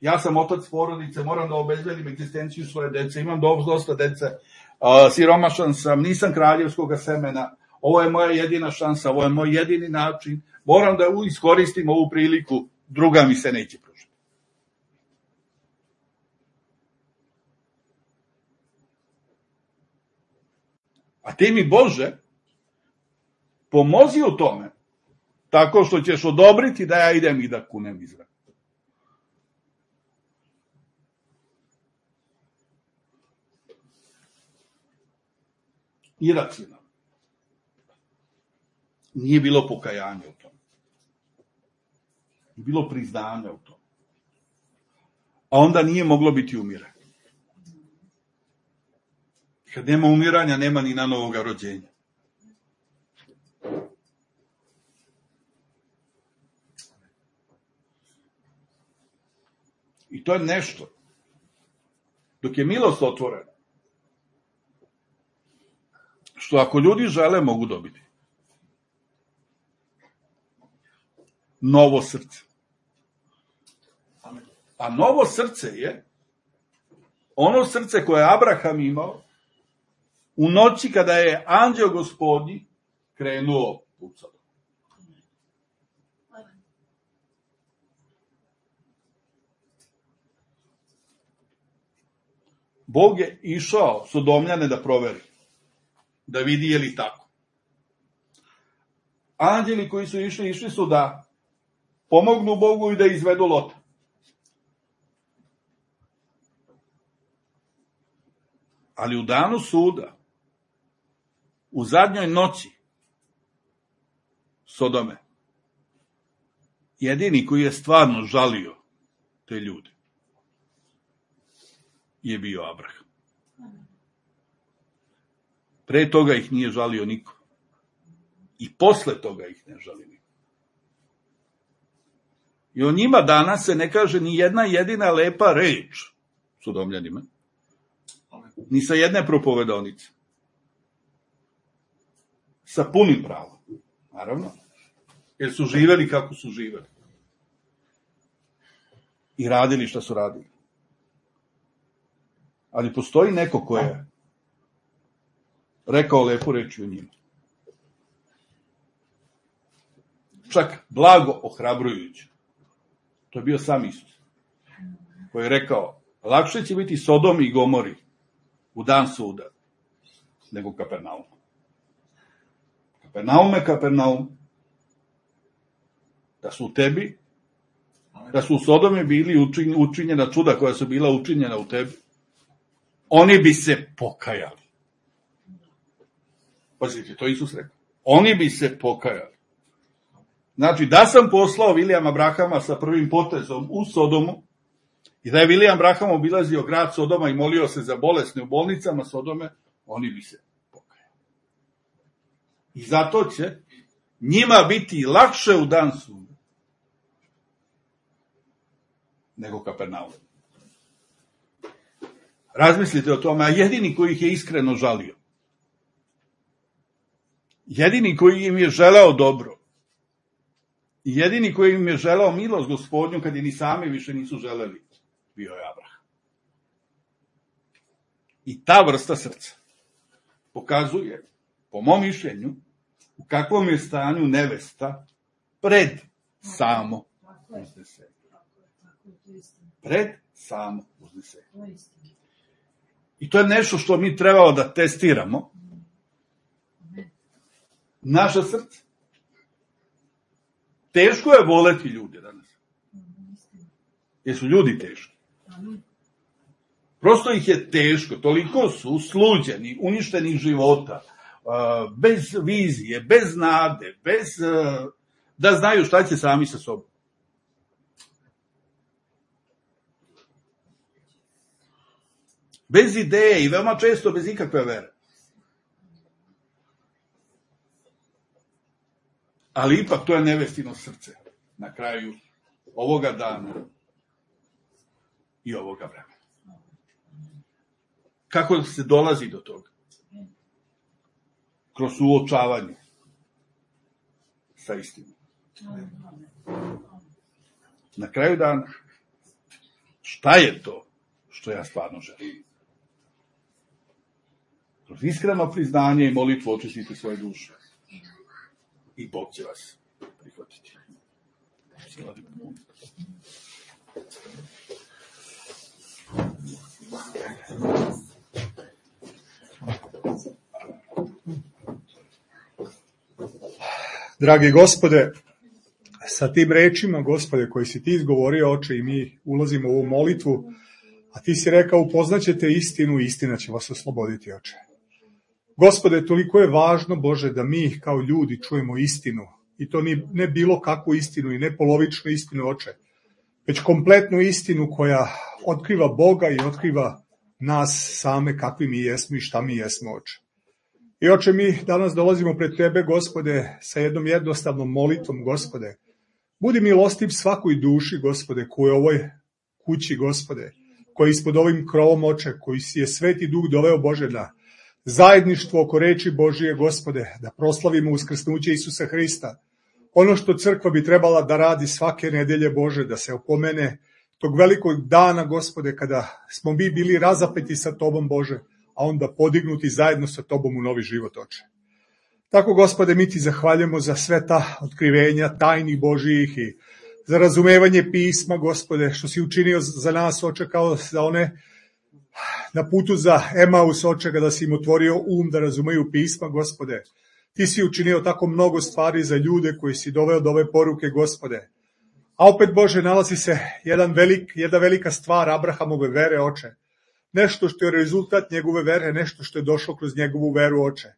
Speaker 1: Ja sam otac porodice, moram da obezbedim egzistenciju svoje dece, imam dosta dece, siromašan sam, nisam kraljevskog semena, ovo je moja jedina šansa, ovo je moj jedini način, moram da iskoristim ovu priliku, druga mi se neće pružiti. A ti mi, Bože, pomozi u tome, tako što ćeš odobriti da ja idem i da kunem Izrael. Iracionalno. Nije bilo pokajanja u tome. Nije bilo priznanja u tome. A onda nije moglo biti umiranje. Kad nema umiranja, nema ni na novoga rođenja. I to je nešto. Dok je milost otvorena, što ako ljudi žele, mogu dobiti. Novo srce. A novo srce je ono srce koje je Abraham imao u noći kada je anđeo Gospodnji krenuo pucao. Bog je išao Sodomljane da proveri, da vidi je li tako. Anđeli koji su išli su da pomognu Bogu i da izvedu Lota. Ali u danu suda, u zadnjoj noći Sodome, jedini koji je stvarno žalio te ljude je bio Abraham. Pre toga ih nije žalio niko. I posle toga ih ne žali niko. I o njima danas se ne kaže ni jedna jedina lepa reč Sodomljanima. Ni sa jedne propovedonice. Sa punim pravom. Naravno. Jer su živeli kako su živeli. I radili šta su radili. Ali postoji neko ko je rekao lepu reč o njima. Čak blago ohrabrujuće. To je bio sam Isus. Koji je rekao, lakše će biti Sodom i Gomori u dan suda nego Kapernaum. Kapernaum, da su u tebi da su u Sodome bili učinjena čuda koja su bila učinjena u tebi, oni bi se pokajali. Pazite, to Isus rekao. Oni bi se pokajali. Znači, da sam poslao Vilijama Brahama sa prvim potezom u Sodomu i da je Vilijam Braham obilazio grad Sodoma i molio se za bolesne u bolnicama Sodome, oni bi se pokajali. I zato će njima biti lakše u dan suda nego Kapernaum. Razmislite o tome, a jedini koji ih je iskreno žalio, jedini koji im je želeo dobro, jedini koji im je želeo milost Gospodnju kad je ni sami više nisu želeli, bio je Abraham. I ta vrsta srca pokazuje, po mom mišljenju, u kakvom je stanju nevesta pred samo uznesenje. Pred samo uznesenje. I to je nešto što mi trebamo da testiramo. Naša srca. Teško je voleti ljude danas. Jer su ljudi teški. Prosto ih je teško. Toliko su sluđeni, uništeni života, bez vizije, bez nade, bez da znaju šta će sami sa sobom. Bez ideje i veoma često bez ikakve vere. Ali ipak to je nevestino srce na kraju ovoga dana i ovoga vremena. Kako se dolazi do toga? Kroz suočavanje sa istinom. Na kraju dana, šta je to što ja stvarno želim? Kroz iskreno priznanje i molitvu očistite svoje duše. I Bog će vas prihvatiti.
Speaker 3: Dragi Gospode, sa tim rečima, Gospode, koji si ti izgovorio, Oče, i mi ulazimo u ovu molitvu, a ti si rekao, upoznaćete istinu i istina će vas osloboditi, Oče. Gospode, toliko je važno, Bože, da mi kao ljudi čujemo istinu. I to ne bilo kakvu istinu i ne polovičnu istinu, Oče, već kompletnu istinu koja otkriva Boga i otkriva nas same kakvi mi jesmo i šta mi jesmo, Oče. I Oče, mi danas dolazimo pred Tebe, Gospode, sa jednom jednostavnom molitvom, Gospode. Budi milostiv svakoj duši, Gospode, koja je u ovoj kući, Gospode, koja je ispod ovim krovom, Oče, koji si je Sveti Duh doveo, Bože, na zajedništvo oko reči Božije, Gospode, da proslavimo uskrsnuće Isusa Hrista. Ono što crkva bi trebala da radi svake nedelje, Bože, da se opomene tog velikog dana, Gospode, kada smo mi bili razapeti sa Tobom, Bože, a onda podignuti zajedno sa Tobom u novi život, Oče. Tako, Gospode, mi Ti zahvaljujemo za sve ta otkrivenja tajnih Božijih i za razumevanje pisma, Gospode, što si učinio za nas, Oče, kao za one na putu za Emaus, Oče, kada si im otvorio um da razumeju pisma, Gospode. Ti si učinio tako mnogo stvari za ljude koji si doveo do ove poruke, Gospode. A opet, Bože, nalazi se jedna velika stvar Abrahamove vere, Oče. Nešto što je rezultat njegove vere, nešto što je došlo kroz njegovu veru, Oče.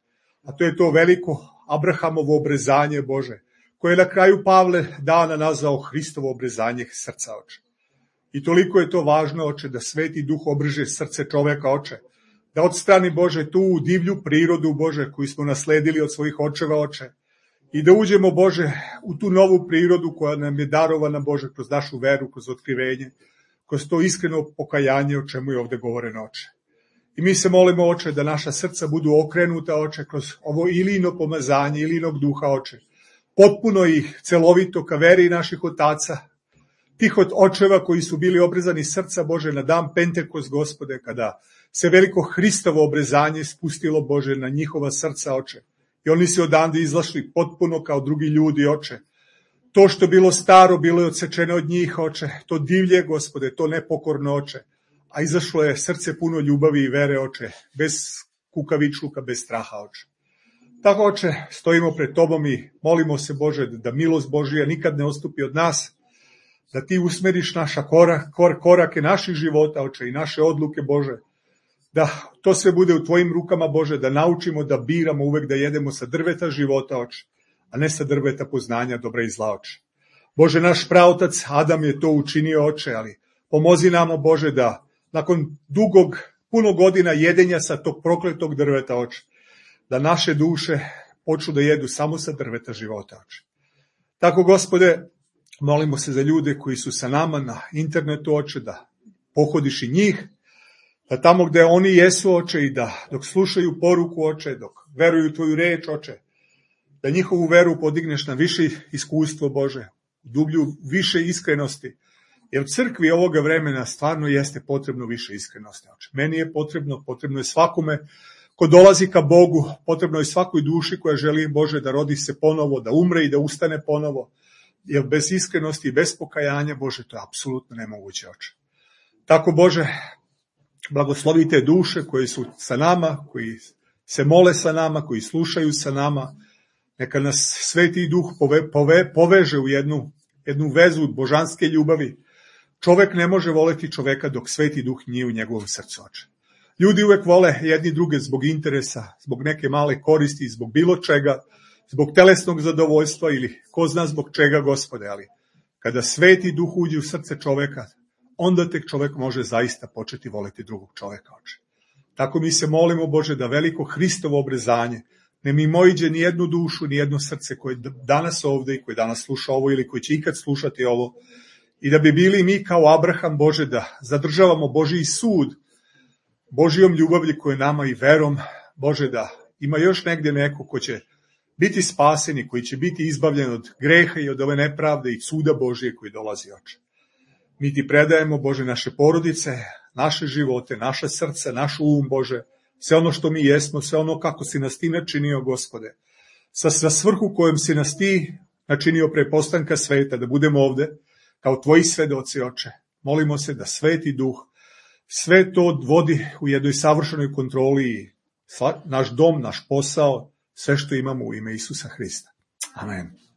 Speaker 3: A to je to veliko Abrahamovo obrezanje, Bože, koje je na kraju Pavle dana nazvao Hristovo obrezanje srca, Oče. I toliko je to važno, Oče, da Sveti Duh obrže srce čoveka, Oče. Da odstrani, Bože, tu divlju prirodu, Bože, koju smo nasledili od svojih očeva, Oče. I da uđemo, Bože, u tu novu prirodu koja nam je darovana, Bože, kroz našu veru, kroz otkrivenje, kroz to iskreno pokajanje o čemu je ovde govoreno, Oče. I mi se molimo, Oče, da naša srca budu okrenuta, Oče, kroz ovo ilino pomazanje, ilinog duha, Oče. Potpuno i celovito ka veri naših otaca, tih od očeva koji su bili obrezani srca, Bože, na dan Pentekost, Gospode, kada se veliko Hristovo obrezanje spustilo, Bože, na njihova srca, Oče. I oni se odande izlašli potpuno kao drugi ljudi, Oče. To što bilo staro, bilo je odsečeno od njih, Oče. To divlje, Gospode, to nepokorno, Oče. A izašlo je srce puno ljubavi i vere, Oče. Bez kukavičluka, bez straha, Oče. Tako, Oče, stojimo pred Tobom i molimo se, Bože, da milost Božija nikad ne odstupi od nas, da ti usmeriš naša korake naših života, Oče, i naše odluke, Bože, da to sve bude u tvojim rukama, Bože, da naučimo da biramo uvek da jedemo sa drveta života, Oče, a ne sa drveta poznanja dobra i zla, Oče. Bože, naš praotac Adam je to učinio, Oče, ali pomozi nam, Bože, da nakon puno godina jedenja sa tog prokletog drveta, Oče, da naše duše počnu da jedu samo sa drveta života, Oče. Tako, Gospode, molimo se za ljude koji su sa nama na internetu, Oče, da pohodiš i njih, da tamo gde oni jesu, Oče, i da dok slušaju poruku, Oče, dok veruju tvoju reč, Oče, da njihovu veru podigneš na više iskustvo, Bože, dublju više iskrenosti, jer u crkvi ovoga vremena stvarno jeste potrebno više iskrenosti, Oče. Meni je potrebno je svakome ko dolazi ka Bogu, potrebno je svakoj duši koja želi, Bože, da rodi se ponovo, da umre i da ustane ponovo, jer bez iskrenosti i bez pokajanja, Bože, to je apsolutno nemoguće, Oče. Tako, Bože, blagoslovi te duše koje su sa nama, koji se mole sa nama, koji slušaju sa nama. Neka nas Sveti Duh poveže u jednu vezu božanske ljubavi. Čovek ne može voleti čoveka dok Sveti Duh nije u njegovom srcu, Oče. Ljudi uvek vole jedni druge zbog interesa, zbog neke male koristi, zbog bilo čega, zbog telesnog zadovoljstva ili ko zna zbog čega, Gospode, ali kada Sveti Duh uđe u srce čoveka, onda tek čovek može zaista početi voleti drugog čoveka, Oče. Tako mi se molimo, Bože, da veliko Hristovo obrezanje ne mimoiđe ni jednu dušu, ni jedno srce koje danas ovde i koje danas sluša ovo ili koje će ikad slušati ovo, i da bi bili mi kao Abraham, Bože, da zadržavamo Božiji sud, Božijom ljubavlji koje nama i verom, Bože, da ima još negde neko ko će biti spasen i koji će biti izbavljen od greha i od ove nepravde i suda Božije koji dolazi, Oče. Mi ti predajemo, Bože, naše porodice, naše živote, naše srce, naš um, Bože, sve ono što mi jesmo, sve ono kako si nas ti načinio, Gospode, sa svrhu kojom si nas ti načinio pre postanka sveta, da budemo ovde kao tvoji svedoci, Oče. Molimo se da Sveti Duh sve to vodi u jednoj savršenoj kontroli i naš dom, naš posao, sve što imamo u ime Isusa Hrista. Amen.